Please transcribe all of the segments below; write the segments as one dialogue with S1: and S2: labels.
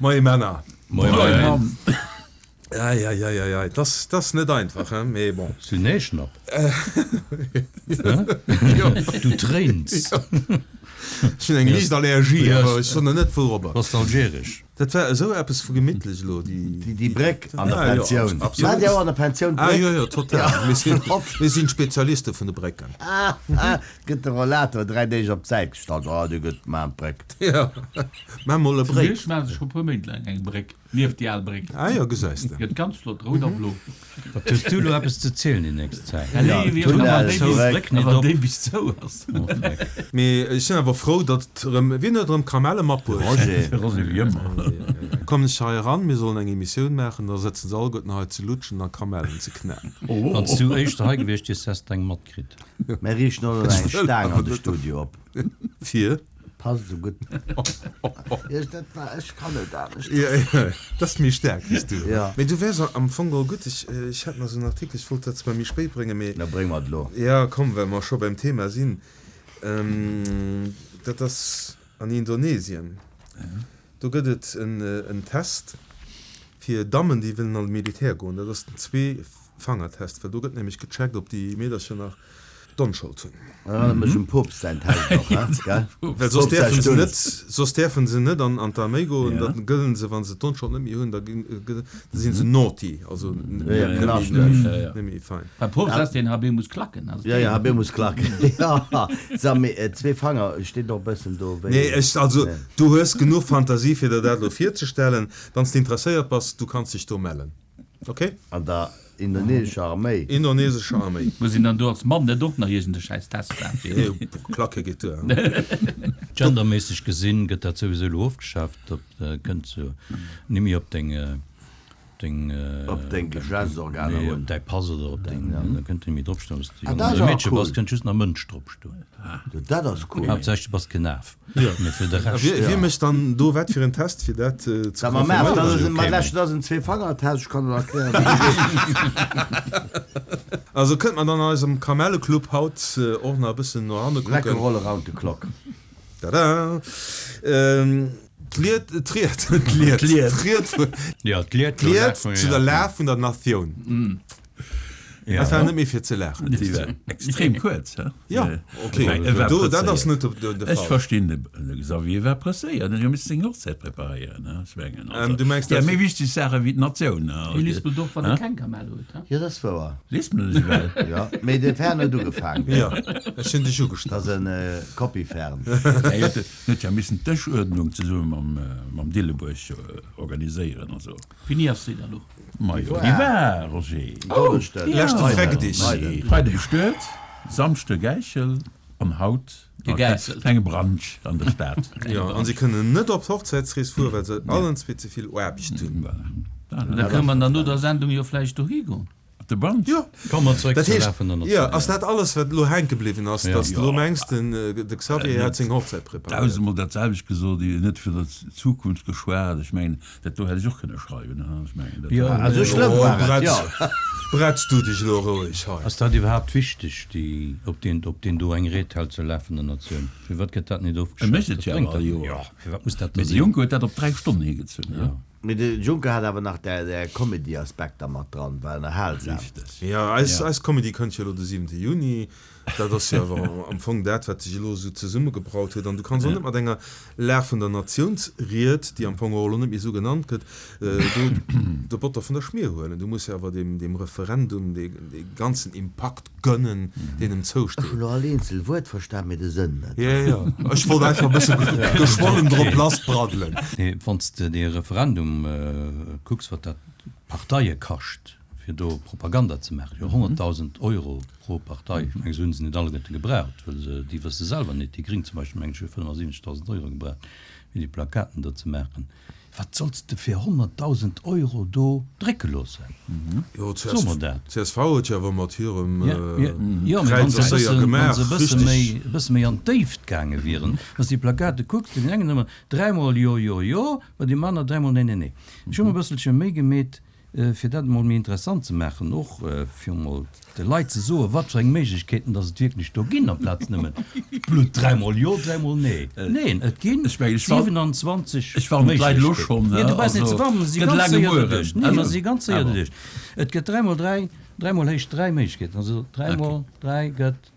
S1: Moie Männer.
S2: Moie Mann.
S1: Eieieiei, et ass, et ass net einfach, hein, mee bon.
S2: Hues du Näschnapp? Du tréins.
S1: Ech hunn eng liicht Allergie, awer ech soen der net wourobber.
S2: Bass de algeresch?
S1: Dat war esou eppes vu gemittlech elo, déi.
S3: Déi Bréck an der Pensioun. Maacht Dir och an der Pensioun
S1: d'Bréck? Ah jo, jo, total. Mir sinn, mir sinn d'Spezialiste vun de Brécken.
S3: Gëtt de Rollator 3 Deeg op d'Säit gestallt, oh dee gëtt, maan d'Bréck.
S1: Jo, maa mol e
S4: Zu
S1: Bréck.
S4: Miersch maache se scho puer Méint laang eng Bréck. Nieft déi al Bréck.
S1: Ah jo, gesäis de.
S4: Gëtt ganz flott, rout a blo.
S2: Wat hues du elo eppes ze zielen déi nächst Zäit?
S4: Nee,
S2: Tunnel, Bréck net
S4: wann
S2: op.
S4: déi bis zou ass.
S2: Oh Dreck.
S1: Mee ech sinn awer frou, datt erëm, wien huet erëm Kamelle matbruecht?
S3: Roger.
S5: De Roger wéi ëmmer.
S1: Kommen ech hei eran, mir sollen eng Emissioun maachen, da sëtzen se alleguerten hei ze lutschen a Kamellen ze knaen.
S2: Wann s du éischter hei gewiescht wiers, häss de eng matkritt.
S3: Mir riichten och nach eng Staang an de Studio op.
S1: Fir?
S3: Passt esou gutt. Ech, dat war, ech kann net anescht.
S1: Jo, jo, dat ass méi staark wéi s du.
S3: Ja.
S1: Mee du wäers am Fong geholl gutt. Ech, ech hat nach esou en Artikel, ech wollt dat zwar méi spéit bréngen, mee.
S3: Da bréng mer et elo.
S1: Ja, komm, well mer scho beim Thema sinn. Dat ass an Indonesien. Do gëtt et en Test fir Dammen, déi wëllen an de Militär goen. Dat ass den Zwee-Fanger-Test, well do gëtt nämlech gecheckt, ob déi Meedercher nach d'Onschold hunn.
S3: Erënnert mech um Poopst säin Test och, he, gell?
S1: Well soss däerfe se net, soss däerfe se net an d'Arméi goen. Da gëllen se, wa se d'Onschold net méi hunn, da si se naughty, also net méi fein.
S4: Beim Poopst ass deen Habemus Klacken, ass
S3: et deen? Jo, jo, Habemus Klacken, jo. So, mee Zweefanger steet och e bëssen do wéi.
S1: Nee, ech, also du hues genuch Fantasie fir der dat elo virzestellen. Wann s de interesséiert bass, du kanns dech do mellen. Ok?
S3: An der indonesescher Arméi.
S1: Indonesescher Arméi.
S4: Muss een dann do als Mann net och nach iergend e schäiss Test maachen fir.
S1: Nee, Klacke geet duer.
S2: Genderméisseg gesinn gëtt dat souwisou elo ofgeschaaft, dat kënnt sou nimmi op deng, deng.
S3: Op deng Geschlechtsorganer
S2: un. Op däi Pass oder op deng, da kënnt nimmi dropstoen, ob s de Jong oder Meedche bass, kënnt just nach Mënsch dropstoen.
S3: Dat ass cool.
S2: Haaptsächlech du bass keen Af. Mee fir de Rescht.
S1: Wie mécht dann do wat fir en Test, fir dat ze
S3: confirméieren? Ma dat ass en Zweefanger-Test, ech kann der erklären, wéi dee geet.
S1: Also kënnt mer dann an eisem Kamelleclub haut och nach e bëssen no hanne kucken.
S3: Rock'n'Roll around the clock.
S1: Tada! D'Lied, d'Ried, d'Lied, d'Ried, d'Ried zu der Lag vun der Natioun. Dat war net méi fir ze laachen.
S5: Déi war extrem kuerz, he?
S1: Jo, ok, do, dat ass net de Fall.
S5: Ech verstinn de Xavier war presséiert, en huet jo missen seng Hochzäit preparéieren, he? Ech mengen, also,
S1: Du mengs,
S5: déi
S1: dat.
S5: méi wichteg Saache wéi d'Natioun, he?
S4: Hie lispelt och, wann e keng Kamell huet, he?
S3: Jo, dat ass wouer.
S5: Lispelen ech ewell?
S3: Jo, mee de Fern huet ugefaangen.
S1: Jo, ech hunn dech ugestallt.
S3: Dat ass e Copy-Fern.
S5: Hie huet jo missen d'Dëschuerdnung zesumme mam Dillebuerg organiséieren, also.
S4: Wéini ass déi dann elo?
S5: Majo, déi war, Roger.
S3: Donneschden.
S1: Leschte Freckdig.
S5: Freide gestuet, Samschde gäichel an haut
S4: Gegäisselt.
S5: klenge Brunch an der Stad.
S1: Jo, an si kënnen net op d'Hochzäitsrees fueren, well se allen zwee ze vill Aarbecht hunn.
S5: Voilà.
S4: Da kënne mer dann no der Sendung jo vläicht dohi goen.
S5: De Brunch?
S1: Jo.
S2: Komme mer zeréck
S1: Dat
S2: zur
S1: heescht,
S2: Laf vun der
S1: jo,
S2: Natioun.
S1: ass dat alles, wat elo hänke bliwwen ass,
S2: Ja.
S1: datt s de elo mengs, den, de Xavier hätt seng Hochzäit preparéiert?
S5: Dausendmol dat selwecht gesot, Dir hutt net vun der Zukunft geschwat. Ech mengen, dat do hätt ech och kënne schreiwen, hein. Ech mengen, dat
S2: Jo,
S5: war.
S3: Ah, esou schlëmm
S1: Oh,
S3: war et,
S1: bretz,
S3: jo.
S1: bretz du dech elo roueg hei.
S2: Ass dat iwwerhaapt wichteg, déi, ob deen, ob deen do eng Ried hält zur Laf vun der Natioun? Firwat gëtt dat net
S5: E
S2: ofgeschaaft?
S5: mécht et
S2: Dat
S5: jo
S2: bréngt
S5: awer all
S2: dat.
S5: Joer.
S2: Jo, firwat muss dat da
S5: Mee de
S2: sinn?
S5: Juncker huet dat op 3 Stonnen higezunn, hein.
S2: Jo.
S3: Mee de Juncker hat awer nach där Comedy-Aspekter mat dran, war ënnerhalsam.
S5: Richteg.
S1: Jo, eis, eis Comedy kënnt jo elo de siwente Juni. Dat ass jo awer am Fong dat, wat sech elo esou zesummegebraut huet. An du kanns och net mat enger Lag vun der Natiounsried, déi am Fong och elo net méi esou genannt gëtt, do de Botter vun der Schmier huelen. Du muss jo awer deem, deem Referendum dee, dee ganzen Impakt gönnen, deen em
S3: Ech hunn
S1: zousteet.
S3: elo all eenzel Wuert verstan, mee de Sënn net.
S1: Jo, jo, ech wollt einfach e bësse geschwollen drop lassbraddelen.
S2: Nee, wann s de dee Referendum kucks, wat dat d'Parteie kascht, fir do Propaganda ze maachen, jo 100.000 Euro pro Partei, ech menge se hunn se net alleguerte gebraucht, well se, déi wësse selwer net, déi Gréng zum Beispill, meng ech, hu 75.000 Euro gebraucht, fir déi Plakaten do ze maachen. Wat solls de fir 100.000 Euro do drécke loossen?
S1: Jo,
S2: So mer dat.
S1: Csv huet jo awer mat hirem
S2: Jo, mee wann
S1: Kräiz
S2: se e
S1: ass séier
S2: bëssen, wann
S1: gemaach,
S2: se e bësse
S1: richteg.
S2: méi, e bësse méi an d'Déift gaange wieren. Wann s de déi Plakate kucks, bei deem engen ëmmer dräimol Jo, Jo, Jo, bei deem aner dräimol Nee, Nee, Nee. Ech hu mer e bësselche Méi gemeet. fir dat emol méi interessant ze maachen, och fir emol de Leit ze soen, wat fir eng Méiglechkeeten dass et wierklech do ginn, amplaz nëmmen blutt dräimol jo, dräimol nee. Neen, et ginn 27 Méiglechkeeten. Nee, du brauchs net ze warnen, mer si ganz séier doduerch. Nee, mer si ganz séier doduerch. Et gëtt dräimol dräi, dräimol héich dräi Méiglechkeeten, also dräimol dräi gëtt.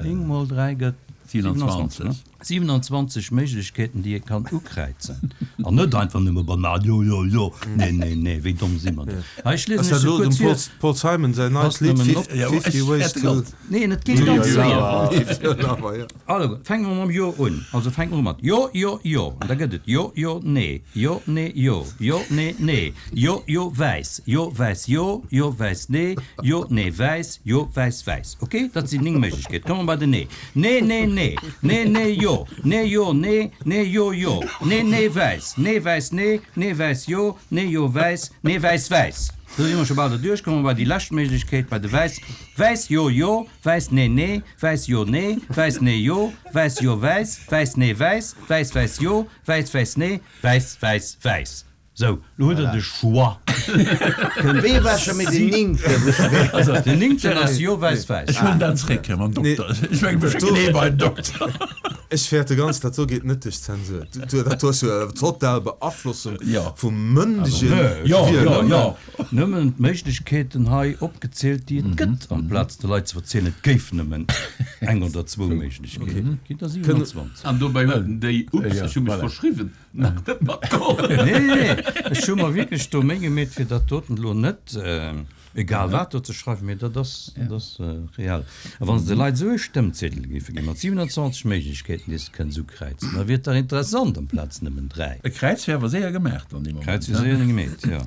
S2: 9 mol 3 gëtt 27, ne? 27 Méiglechkeeten, déi ee kann ukräizen. An net einfach nëmme banal, jo, jo, jo, nee, nee, nee, wéi domm si mer denn? Hei, ech liesen
S1: Ass
S2: iech
S1: dat
S2: se
S1: elo
S2: kuerz
S1: dem
S2: vir.
S1: Paul, Paul Simon säin neit
S2: Passt
S1: Lidd
S2: nëmmen op.
S1: 50 Ways to.
S2: Neen, et geet ganz séier.
S1: If your lover, jo.
S2: Also, fänke mer mam Jo un. Also fänke mer u mat Jo, jo, jo. An da gëtt et Jo, jo, nee, Jo, nee, jo, jo, nee, nee, Jo, jo, wäiss, Jo, wäiss, jo, jo, wäiss, nee, Jo, nee, wäiss, Jo, wäiss, wäiss. Ok, dat sinn 9 Méiglechkeeten. Komme mer bei den Nee. Nee, nee, nee, nee, nee, jo, nee, jo, nee, nee, jo, jo, nee, nee, wäiss, nee, wäiss, nee, nee, wäiss, jo, nee, jo, wäiss, nee, wäiss, wäiss. Do si mer scho bal derduerch. Komme mer bei déi lescht Méiglechkeet, bei de Wäiss. Wäiss, jo, jo, wäiss, nee, nee, wäiss, jo, nee, wäiss, nee, jo, wäiss, jo, wäiss, wäiss, nee, wäiss, wäiss, wäiss, jo, wäiss, wäiss, nee, wäiss, wäiss, wäiss. Sou, lo hutt der de Choix.
S3: Wéi war scho méi den néngten?
S2: Also, den néngten ass jo wäiss wäiss.
S5: Ech huelen dat zréck, Här mam Dokter. Ech mengen, mir schécken ee bei den Dokter.
S1: Ech fäerte ganz, dat do geet net duerch d'Zensur. Dat do ass jo eng total Beaflossung vum mëndege
S2: Wieler. Jo, nëmmen d'Méiglechkeeten hei opgezielt, déi et gëtt, amplaz de Leit ze verzielen, et géif nëmmen eng oder zwou Méiglechkeeten ginn. Der 27.
S4: An dobäi huet en déi, ups, ech hu mech verschriwwen. Nach net matgeholl.
S2: Nee, nee, ech hu mer wierklech do Méi gemeet, fir dat doten elo net egal wat do ze schreiwen, mee dat ass, dat ass reell. A wann se de Leit esou e Stëmmziedel géife ginn, mat 27 Méiglechkeeten, déi se kënnen esou kräizen, da wier et dach interessant, amplaz nëmmen 3.
S5: E Kräiz wär awer séier gemaach dann dee Moment.
S2: Kräiz wier séier gemeet, jo.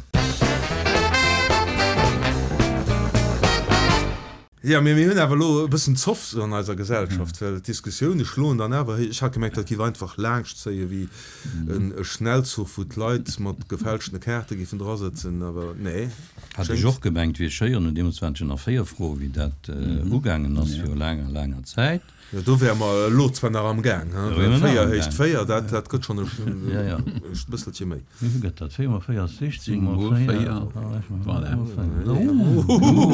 S1: Jo, mee mir hunn awer elo e bëssen Zoff sou an eiser Gesellschaft, well d'Diskussioune schloen dann awer héich. Ech hat gemengt, dat géif einfach laangschtzéie wéi e Schnellzuch, wou d'Leit mat gefälschtene Kaarte géifen drasëtzen, awer nee,
S2: Hat ech
S1: schéngt.
S2: och gemengt, wier schéier, no deemools waren et jo nach 4 Froen, wéi dat ugaangen ass, viru laanger, laanger Zäit.
S1: Jo, do wäre mer elo zwar nach am Gaang, he,
S2: Do wiere
S1: well
S2: mer nach
S1: 4
S2: am
S1: héicht
S2: Gaang.
S1: 4, dat, dat gëtt schonn e
S2: Ja, ja.
S1: bësselche méi.
S2: Wéi vill gëtt dat? 4 mol 4 ass 16, mol
S5: mol
S2: 4,
S5: 4, voilà.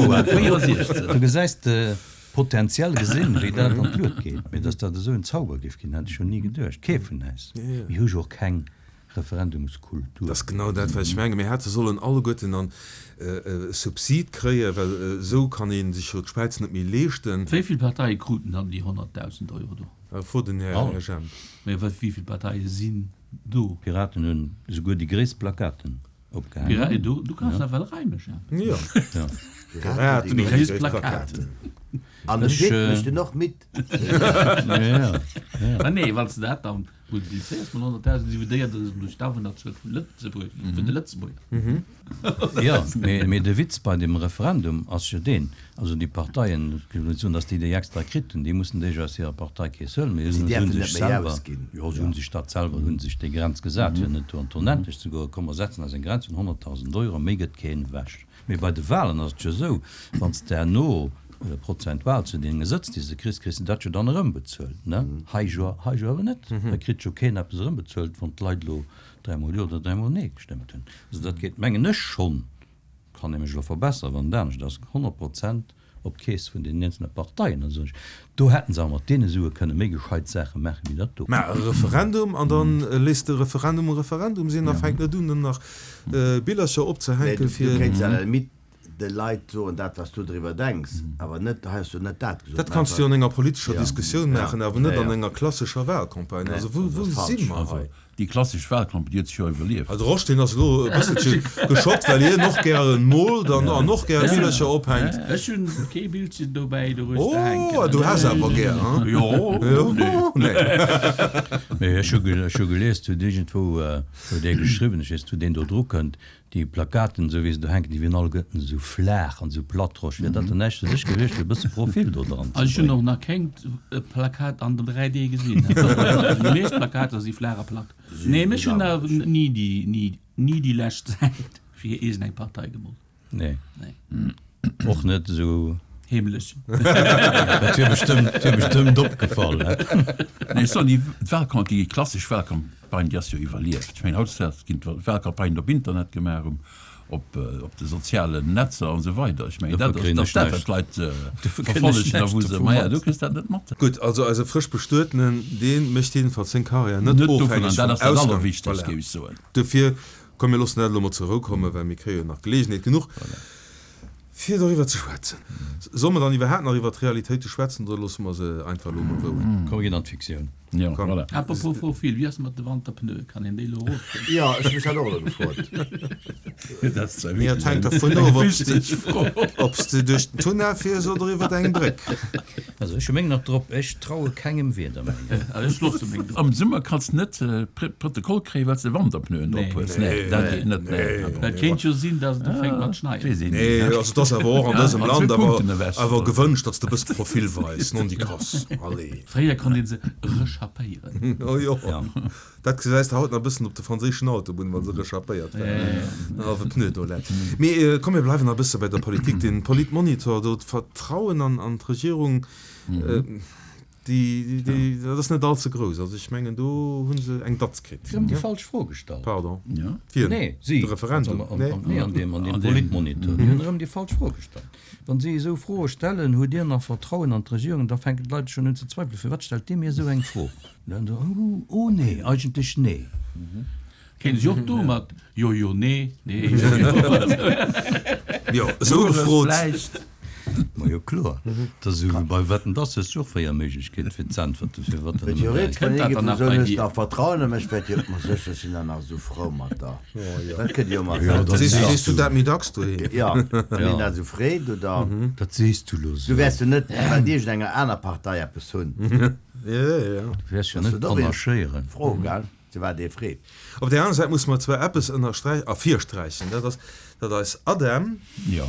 S2: Voilà. 64. Du gesäis de potenziell gesinn, wéi dat an d'Luet geet. Mee datt dat esou en Zauber géif ginn, hätt ech jo ni geduecht. Kee vun äis. Mir hu jo och keng Referendumskultur.
S1: Dat ass genau dat, wat ech mengen. Mir hätte sollen alleguerten an e Subsid kréien, well esou kann ee sech jo d'Späiz net méi leeschten.
S4: Wéi vill Parteie kruten dann déi 100.000 Euro do?
S1: Fro den Här Jemp.
S4: Mee wéi vill Parteie sinn do?
S2: D'Piraten hunn esouguer déi gréisst Plakaten opgehaangen.
S4: Du kanns nawell reimen, Jemp.
S1: Jo, Piraten hunn déi gréisst Plakaten.
S3: An de Pit mécht en och mit.
S4: Ma nee, wann s de dat dann multiplizéiers mat 100.000, dividéiert dat duerch d'Awunnerzuel vu Lëtzebuerg, vun de Lëtzebuerger.
S2: Jo, mee de Witz bei dem Referendum ass jo deen, also déi Parteien, ech wëll net soen, datt déi déi extra kritt hunn, déi mussen déi jo aus hirer Parteikeess huelen, mee
S3: Si
S2: si hunn
S3: däerfen
S2: sech
S3: net méi
S2: selwer,
S3: ausginn.
S2: jo, si hunn sech dat selwer, hunn sech déi Grenz gesat, fir net do an d'Onendlecht ze goen, komm mer setzen eis eng Grenz vun 100.000 Euro, méi gëtt keen ewech. Mee bei de Wahlen ass et jo esou, wann s de herno prozentual zu deene Sëtz, déi s de kriss, kriss de dat jo dann erëmbezuelt, ne? Hei jo, hei jo awer net. Hei kritt jo keen eppes erëmbezuelt, wann d'Leit elo dräimol Jo oder dräimol Nee gestëmmt hunn. Also dat geet, mengen ech schonn, kann ee mech elo verbesseren, wann et anescht ass, 100 Prozent op d'Keess vun deenen eenzele Parteien. Also ech, do hätte se awer mat deene Sue kënne méi gescheit Saache maache wéi dat do.
S1: Mä e Referendum, an da léisst de Referendum e Referendum sinn a fänkt net un, dann nach Billercher
S3: Nee,
S1: opzehänken,
S3: du
S1: fir.
S3: kéints à la limite de Leit soen, dat wat s du driwwer denks, awer net, hei has du net dat gesot.
S1: Dat kanns du jo an enger politescher Diskussioun maachen, awer net
S3: Ja,
S1: an
S3: ja.
S1: enger klassescher Wahlcampagne. Also wou, wou si mer hei?
S5: Déi klassesch Wahlcampagne, déi huet sech jo iwwerlieft.
S1: De Rosch, deen ass elo e bësselche geschockt, well hien och gären moolt an an och gäre Billercher ophänkt.
S4: Ech hunn kee Bildchen dobäi doruechter hänken.
S1: Oh, du häss awer gär, hein?
S5: Jo,
S1: nee.
S2: Mee ech hu ech hu gelies, huet iergendwou huet ee geschriwwen, ech weess net wou deen do dru kënnt, Déi Plakaten, esou wéi se do hänken, déi wieren alleguerten esou flaach an esou plattrosch. Wier dat dann näischt fir dech gewiescht, fir e bësse Profil do dran ze
S4: Ech hunn
S2: bréngen?
S4: och nach kéngt Plakat an 3D gesinn. Déi meescht Plakater si flaach a platt. Nee, mech hunn awer ni déi, ni, ni déi lescht Zäit fir iergendeng Partei gemoolt.
S2: Nee.
S4: Nee.
S2: Och net esou.
S4: Heemlech.
S2: Dat wier bestëmmt, wier bestëmmt opgefall, he?
S5: Nee, ech soen, déi Wahlcamp, déi klassesch Wahlcampagne, déi ass jo iwwerlieft. Ech mengen, hautdesdaags ginn d'Wahlcampagnen op Internet gemaach, um. Op op de sozialen Netzer an esou weider. Ech mengen, dat ass dat, wat d'Leit verfollegen a wou se, maja, du kriss dat net mat.
S1: Gutt, also eise frësch Bestuetenen, dee mécht jiddefalls seng Karriär net ofhängeg vum Ausgang.
S5: Voilà. Géif ech soen.
S1: Dofir, komm mir loossen dat elo mol zur Rou kommen, well mir kréie jo nach Geleegenheet genuch, fir doriwwer ze schwätzen. Solle mer dann iwwerhaapt nach iwwer d'Realitéite schwätzen oder loosse mer se einfach elo mol rouen?
S2: Komm, mir ginn an d'Fiktioun.
S5: Ja, voilà.
S4: Apropos Profil, wéi ass et mat de Wanterpneue? Kann een déi elo erofhuelen?
S3: Jo, ech hu mech dat och elo gefrot.
S5: Dat ass zwar
S1: Mee et
S5: wierklech
S1: hänkt
S5: eng
S1: dervun of, ob s de,
S5: wichteg Fro.
S1: ob s de duerch den Tunnel fiers oder iwwer eng Bréck.
S2: Also ech hu meng nach drop, ech traue kengem Wieder méi.
S4: Also ech loosse meng drop.
S5: Am Summer kanns de net Protokoll kréien, well s de Wanterpneuen drop hues. Nee, dat geet net. Nee.
S4: Well et kéint jo sinn, datt et ufänkt mat schneien.
S5: Weess een
S1: Nee,
S5: ni, ne?
S1: also et ass awer och an dësem
S5: An
S1: Land
S5: zwou
S1: awer,
S5: Punkten ewech.
S1: awer gewënscht, datt s de e bësse Profil weis, nondikass. Allez.
S4: Fréier konnt een se rechappéieren.
S1: Oh jo, dat gesäis de haut nach e bëssen op de franséischen Autobunnen, wa se rechappéiert waren, en hallwe Pneu do läit. Mee komm, mir bleiwen nach e bësse bei der Politik. Den Politmonitor do, d'Vertrauen an d'Regierung, déi, déi, dat ass net all ze grouss. Also ech mengen, do hu se eng Datz kritt.
S2: Erëm déi falsch Fro gestallt.
S1: Pardon?
S2: Wien?
S1: Nee,
S2: si.
S1: De Referendum?
S2: Nee, an deem Politmonitor. Déi hunn erëm déi falsch Fro gestallt. Wann si esou Froe stellen, Hutt Dir nach Vertrauen an d'Regierung? da fänken d'Leit schonn un ze zweifelen, Firwat stellt dee mir esou eng Fro? Dann so, Oh, oh nee, eigentlech nee.
S4: Kéint si och do mat Jo, jo, nee, nee, jo, jo.
S1: Jo, esou gefrot.
S2: Ma jo kloer, dat ass esou wéi bei Wetten, dass hues du och 4 Méiglechkeeten fir z'äntwerten, firwat
S3: dann
S2: nëmmen
S3: 3? Theoretesch
S4: Kënnt
S3: wann
S4: dat
S3: ee
S4: dann
S3: géif
S4: nach
S3: soen,
S4: bei
S3: hues
S4: dir?
S3: nach Vertrauen a mech, wäert jo ma sécher, ech sinn der nach esou frou mat der. Dat kënnt jo ëmmer
S2: Jo,
S3: esou.
S2: dat
S1: Sees
S2: sees
S1: sees du
S2: du.
S1: dat méi dacks doheem?
S3: Jo, wann een dat esou freet, oder?
S2: Dat sees du lo
S3: Du
S2: esou.
S3: wäers jo net well iergendenger aner Partei eppes hunn.
S1: Jo, jo.
S2: Du wäers jo
S3: Ass
S2: net
S3: dat och een
S2: panaschéieren.
S3: Fro, gell? Zu wat ee freet.
S1: Op där aner Säit musse mer zwar eppes ënnersträichen, ervirsträichen, dat ass, datt eis ADEM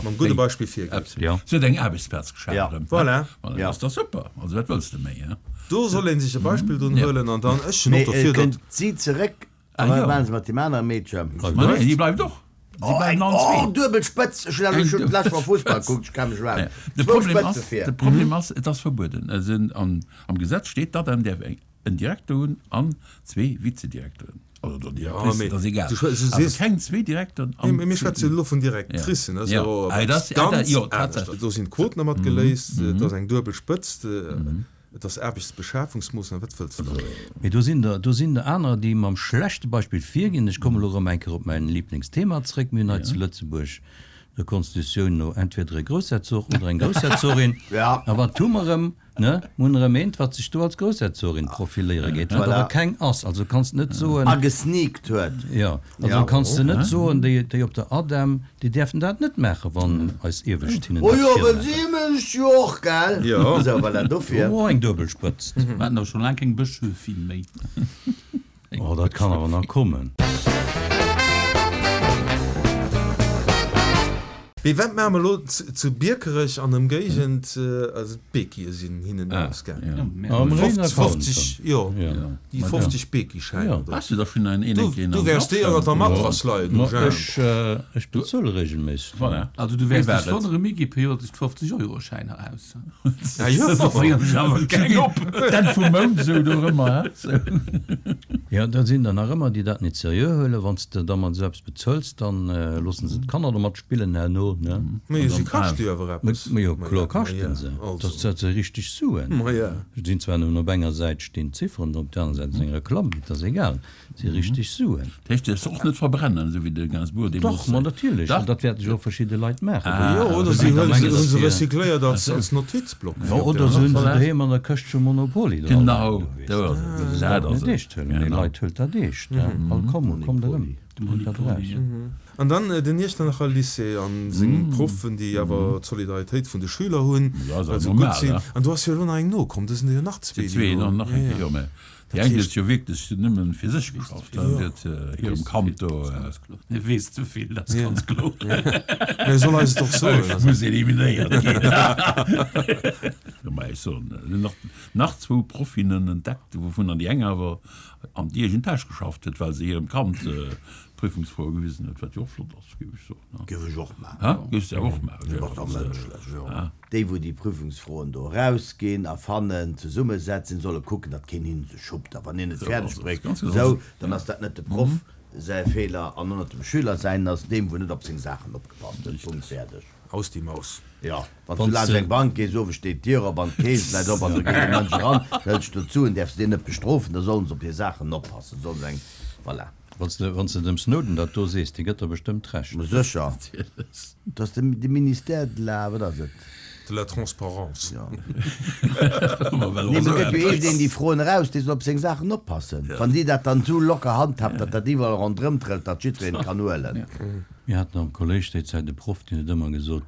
S1: mam gudde Beispill virgeet.
S2: Jo.
S5: Se huet eng Aarbechtsplaz geschaf erëm.
S1: Voilà.
S5: Voilà, dat ass dach super. Also wat wëlls de méi, he?
S1: Do soll ee sech e Beispill drun huelen an dann, ech sinn och
S3: Mee
S1: dofir, datt.
S3: kënnt si zeréck a wat maache se mat deem anere Meedchen?
S5: Ma nee, déi bleift och. Si bleiwen allen
S3: Oh,
S5: zwee.
S3: duebel Spëtz! Ech hunn awer schon d'lescht Woch Fussball gekuckt, ech ka mech iwwerhaapt.
S5: De
S3: Zwou
S5: Problem
S3: Spëtze
S5: ass,
S3: vir.
S5: de Problem ass, et ass verbueden. Am Gesetz steet, d'ADEM däerf eng. En Direkter hunn an zwee Vizedirekteren, also oder Directricen, dat ass egal, awer keng zwee Direkteren an
S1: Mee mir schwätzen elo vun Directricen, dat ass jo eppes ganz anescht. Do sinn d'Quoten dermat geléist, et ass eng duebel Spëtzt, et ass Aarbechtsbeschafungsmoossnam, wat wëlls de nach?
S2: Mee do sinn der, do sinn der anerer, déi mam schlechte Beispill virginn. Ech kommen elo erëm eng Kéier op mäin Liblingsthema zréck. Mir hunn hei zu Lëtzebuerg der Konstitutioun no entweder e Groussherzog oder eng Groussherzogin. A wat hu mer erëm? Ne? Mir hunn erëm eent, wat sech do als Groussherzogin profiléiere geet, wat awer keng ass. Also kanns de net soen.
S3: Agesneakt huet.
S2: Jo, also kanns de net soen, déi, déi op der ADEM, déi däerfen dat net maachen, wann eis Iewescht hinnen
S3: Oh
S2: dat
S3: jo, well
S2: virmaachen.
S3: si mécht jo och, gell?
S1: Jo.
S3: Esou, voilà, dofir.
S2: Oh, eng duebel Spëtzt.
S4: Mir haten awer scho laang keng Bëschöfin méi.
S2: Oh, dat kann awer nach kommen.
S1: Mee wat maache mer elo zu Biekerech an Ëmgéigend? Also d'Beekie sinn hinnen ausgaangen. 50, jo, déi 50 Beekie-Schäiner do. Du wäers déi ënner der Matrass leien hu, Jean.
S2: Ech bezuele regelméisseg.
S4: Also du wäers dech wonnere, mir gi periodesch d'Fofzeg-Euro-Schäiner aus.
S1: Ah jo.
S5: D'Enn vum Mount esou do ëmmer, he?
S2: Jo, da sinn der nach ëmmer, déi dat net seriö huelen. Wann s de da mat esou eppes bezuels, da loosse se d'Kanner domat spillen herno, ne?
S1: Majo, si kaschte jo awer eppes.
S2: Majo, kloer kaschten se. Dat si richteg Suen. Sinn zwar nëmmen op enger Säit stinn d'Zifferen, op der aner Säit ass eng Reklamm, mee et ass egal. Si richteg Suen.
S5: Dat heescht, däerfs och net verbrennen, esou wéi de Gainsbourg deemools.
S2: Dach, ma natierlech, an dat wäerte jo och verschidde Leit maachen.
S1: Jo, oder si hu se recycléiert als Notizblock.
S2: Jo, oder se hunn se doheem an der Këscht vum Monopoly dra
S5: Genau,
S2: leien.
S5: do ass et. Dat ass
S2: net eescht huelen, mee Leit, huelt dat eescht. All komm, kommt erëm, huelt dat eraus.
S1: An dann den Iechternacher Lycée a seng Proffen, déi awer d'Solidaritéit vun de Schüler hunn, well se gutt sinn. An do ass jo elo nach eng nokomm, do sinn der jo nach zwee, déi elo.
S5: Déi eng huet jo wierklech nëmmen fir sech geschafft, déi huet hirem Kand do.
S4: E weess ze vill, dat ass ganz kloer.
S1: Mä soll eis et och soen.
S5: Ech muss eliminéiert ginn. Jo, mä ech soen, et sinn nach, nach zwou Profinnen entdeckt, wouvunner déi eng awer an déi eegen Täsch geschafft huet, well se hirem Kand d'Prüfungsfroe gewisen huet, wat jo och flott ass, géif ech soen.
S3: Géif ech och maachen.
S5: Hä? Géifs de och maachen?
S3: Dat ass dach mënschlech. Déi wou déi Prüfungsfroen do erausginn a fannen, zesummesetzen, solle kucken, datt keen hinne se schuppt. A wann een et fäerdeg bréngt esou, dann ass dat net de Proff. säi Feeler an och net dem Schüler säin, ass deem wou net op seng Saachen opgepasst huet. Punkt, fäerdeg.
S1: Aus die Maus.
S3: Jo, wann s du laanscht eng Bank gees, owes steet d'Dier op an d'Kees läit op an do geet e Mënsch eran, da hëls du d'Suen, däerfs de deen net bestrofen, da sollen se op hir Saachen oppassen, sollen se eng, voilà.
S2: Wann s de, wann s de dem Snowden dat do sees, dee gëtt der bestëmmt Recht.
S3: Ma sécher, dat ass de, de Ministère de la, wat ass et?
S1: De la transparence.
S3: Jo. Nee, mee gëtt jo iergendeen déi Froen eraus, dee soll op seng Saachen oppassen. Wann déi dat dann esou locker handhabt, datt dat iwwerall ronderëm trëllt, datt jiddwereen et kann huelen.
S2: Mir haten am Kolléisch déi Zäit e Proff, deen huet ëmmer gesot,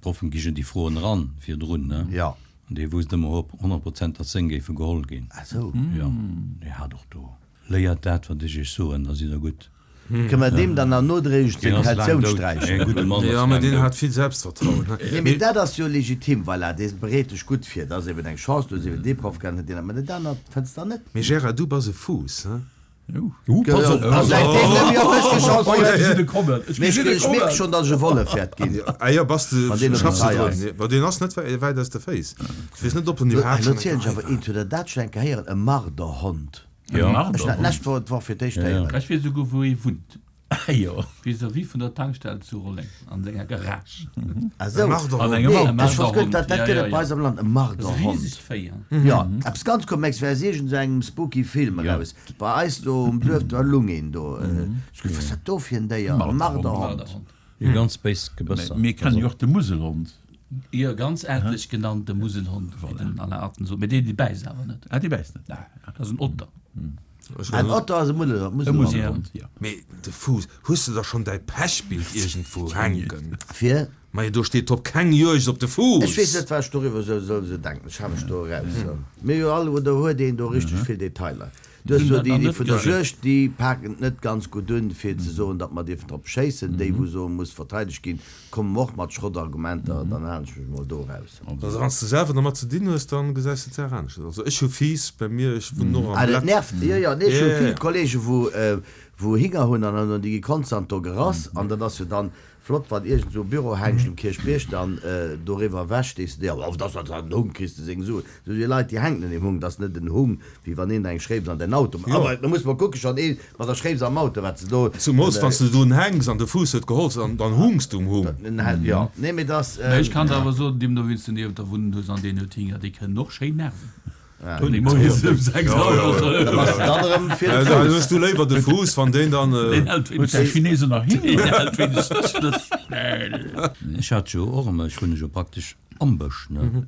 S2: d'Proffen gi jo déi Froen eran virdrun, ne?
S3: Jo.
S2: An dee wousst ëmmer op 100 Prozent, datt seng géife geholl ginn.
S3: Ah sou.
S2: Jo, dee hat och do. Léiert dat, wat ech iech soen, da sidd der gutt.
S3: Kënne mer deem dann nach nodréiglech
S2: Deen ass laang
S3: seng Kautioun
S2: dout.
S3: sträichen?
S2: Ee gudde Mann
S1: Jo,
S2: ass
S1: mä
S2: laang
S1: deen
S2: dout.
S1: hat vill Selbstvertrauen, he?
S3: Nee, mee dat ass jo legitim, voilà, dee bereet dech gutt vir. Dat ass eben eng Chance, du hues eben dee Proff gehat, net deen aneren. Mä dat anert fënns der net.
S1: Mee Gérard, du bass e Fuuss, he?
S2: Uh, pass op!
S3: A säitdeem net méi op mech geschoss
S5: Ech
S3: huet.
S5: gesinn e kommen, ech
S3: Mee
S5: gesinn e
S3: ech mierke
S5: kommen!
S3: schonn, datt ech e Wollef wäert ginn.
S1: Ah jo, bass de,
S3: Wann deen op
S1: schaffs
S3: der
S1: de
S3: Rei ass.
S1: drun? Mä deen ass net wäit aus de Féiss. Ech weess net, ob en
S3: Elo
S1: iwwerhaapt schonn eng
S3: zielen ech
S1: Rei
S3: awer
S1: war.
S3: eent, hutt der dat schonn eng Kéier héieren, e Marderhond?
S2: Jo.
S3: Ech hunn dat d'lescht Woch, d'Woch fir d'éischt héieren.
S4: Ech weess esouguer wou ee wunnt.
S5: Jo.
S4: Vis-à-vis vun der Tankstell zu Rolleng, an senger Garage.
S3: Ah sou.
S1: E Marderhond.
S5: An engem
S3: Nee,
S5: Auto.
S3: ech wosst guer net, dat dat
S4: Ja,
S3: gëtt
S4: ja,
S3: et bei
S4: ja.
S3: eis am Land, e
S4: Dat ass e
S3: Marderhond.
S4: risegt Véi.
S3: Jo, eppes ganz Komexes, wär aus iergend esou engem spooky Film eraus. Bei eis do um Duerf, do lung een do. Ech gesot, wat ass dat do fir en Déier? E Marderhond.
S4: Marderhond.
S2: Jo, ganz béis Gebësser.
S5: Mir kennen jo och de Muselhond.
S4: Jo, ganz aartlech genannt, de Muselhond, wéi den Alain Atten sot. Mee dee, dee bäisst awer net.
S5: Ah, dee bäisst net, nee.
S4: Dat ass en Otter.
S3: En Otter ass e Muselhond.
S5: E Muselhond, jo.
S1: Mee de Fuuss, hues de da schonn däi Pechbild iergendwou hänken?
S3: Fir?
S1: Majo, do steet drop, Keng Juegd op de Fuuss!
S3: Ech weess net, wat ech doriwwer esou soll esou denken. Ech hale mech do eraus. Mir jo all, oder huet een do richteg vill Detailer? Du hues do déi, déi vun der Juegd, déi paken et net ganz gutt un, fir ze soen, datt mer dierfen drop schéissen. Déi, wou soen, muss verteidegt ginn, kommen och mat Schrottargumenter. Dann halen ech mech mol do eraus.
S1: Also wann s de selwer dermat ze dinn hues, dann gesäis de d'Saach aneschters. Also ech hu Fiiss bei mir, ech wunnen och am
S3: Ah, dat
S1: Blett.
S3: nervt. Jo, jo, nee, ech hu vill Kollege wou, wou Hinger hunn an dann déi gi konstant do gerass an dat ass jo dann Flott wann iergend sou e Bürohängscht um Kierchbierg dann doriwwer ewech stees de dir, oh dat ass en Hung, kriss de seng Suen. Sou déi Leit déi hänken un deem Hung, dat ass net en Hung wéi wann een der eng Schréips an däin Auto mécht. Awer da muss mer kucken, schonn ee mat der Schréips am Auto wat se do.
S1: Zumols wann s de do hänks an de Fuuss huet geholz an dann hungs du um Hung.
S3: Jo, nee mee dass.
S4: Mä ech kann der awer soen, deemno wéi s de niewent der wunnen hues an deen huet Hinger, déi kënnen och schéin nerven. Dann
S1: hues du léiwer de Fuuss, wann deen dann.
S5: Huet däi Chinese nach Hinger?
S2: Ech hat jo och ëmmer, ech wunne jo praktesch am Bësch, ne?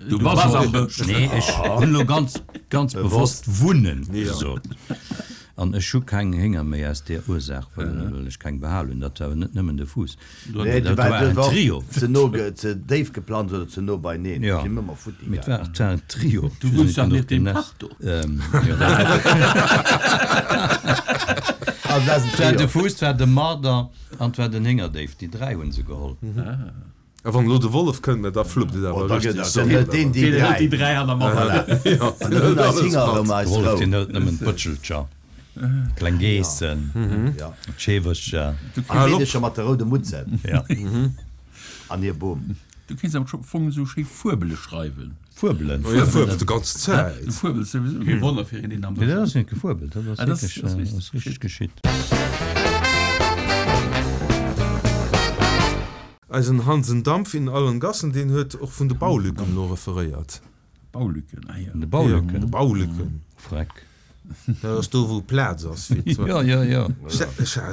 S5: Du bass am Bësch?
S2: Nee, ech hunn elo ganz, ganz bewosst wunnen gesot. An ech hu keng Hénger méi aus där Ursaach, well ech keng behal hunn. Dat war awer net nëmmen de Fuuss.
S3: Nee,
S2: Dat war en Trio.
S3: Ze no, ze déif geplanzt oder ze no beineen.
S2: Jo,
S3: Sinn ëmmer futti
S2: mee et
S3: gaangen.
S2: war, et war en Trio.
S4: Du wunns dach nieft deem Kach do.
S2: Jo, dat
S3: Also dat ass en
S2: war de
S3: Trio.
S2: Fuuss, et war de Marder an et war den Héngerdéif. Déi 3 hu se geholl.
S1: A wann elo de Wollef kënnt, mä da fluppt et
S3: Oh,
S1: awer
S3: da gëtt
S1: richteg.
S3: dann hëlt deen déi
S4: Deen hëlt déi
S3: 3.
S4: 3 an der Matt.
S3: Voilà. An dann hunn eis Hinger erëm eis
S2: De Wollef,
S3: Rou.
S2: deen hëlt nëmmen d'Bëtschelcher, d'kleng Geessen,
S3: Ja.
S2: d'Scheewercher.
S3: Déi Meedecher mat de roude Mutzen
S2: Ja.
S3: an hir Boom.
S5: Du kéints am Fong esou schéi Fuebele schreiwen.
S2: Fuebelen.
S1: Oh, jo, fuebelt de ganz Zäit.
S5: Du fuebels souwisou.
S4: Kee Wonner fir een, deen am
S2: Nee, dat
S4: Bësch
S2: ass net gefuebelt, dat ass
S5: Ah, dat ass-
S2: wierklech,
S5: dat ass
S2: ass richteg geschitt.
S1: Eisen Hansen Dampf in allen Gassen, deen huet och vun de Baulücken elo referéiert.
S5: Baulücken, ah jo.
S2: Vun de Baulücken?
S1: De Baulücken.
S2: Freck.
S1: Dat ass do, wou Plaz ass fir ze.
S2: Jo, jo, jo.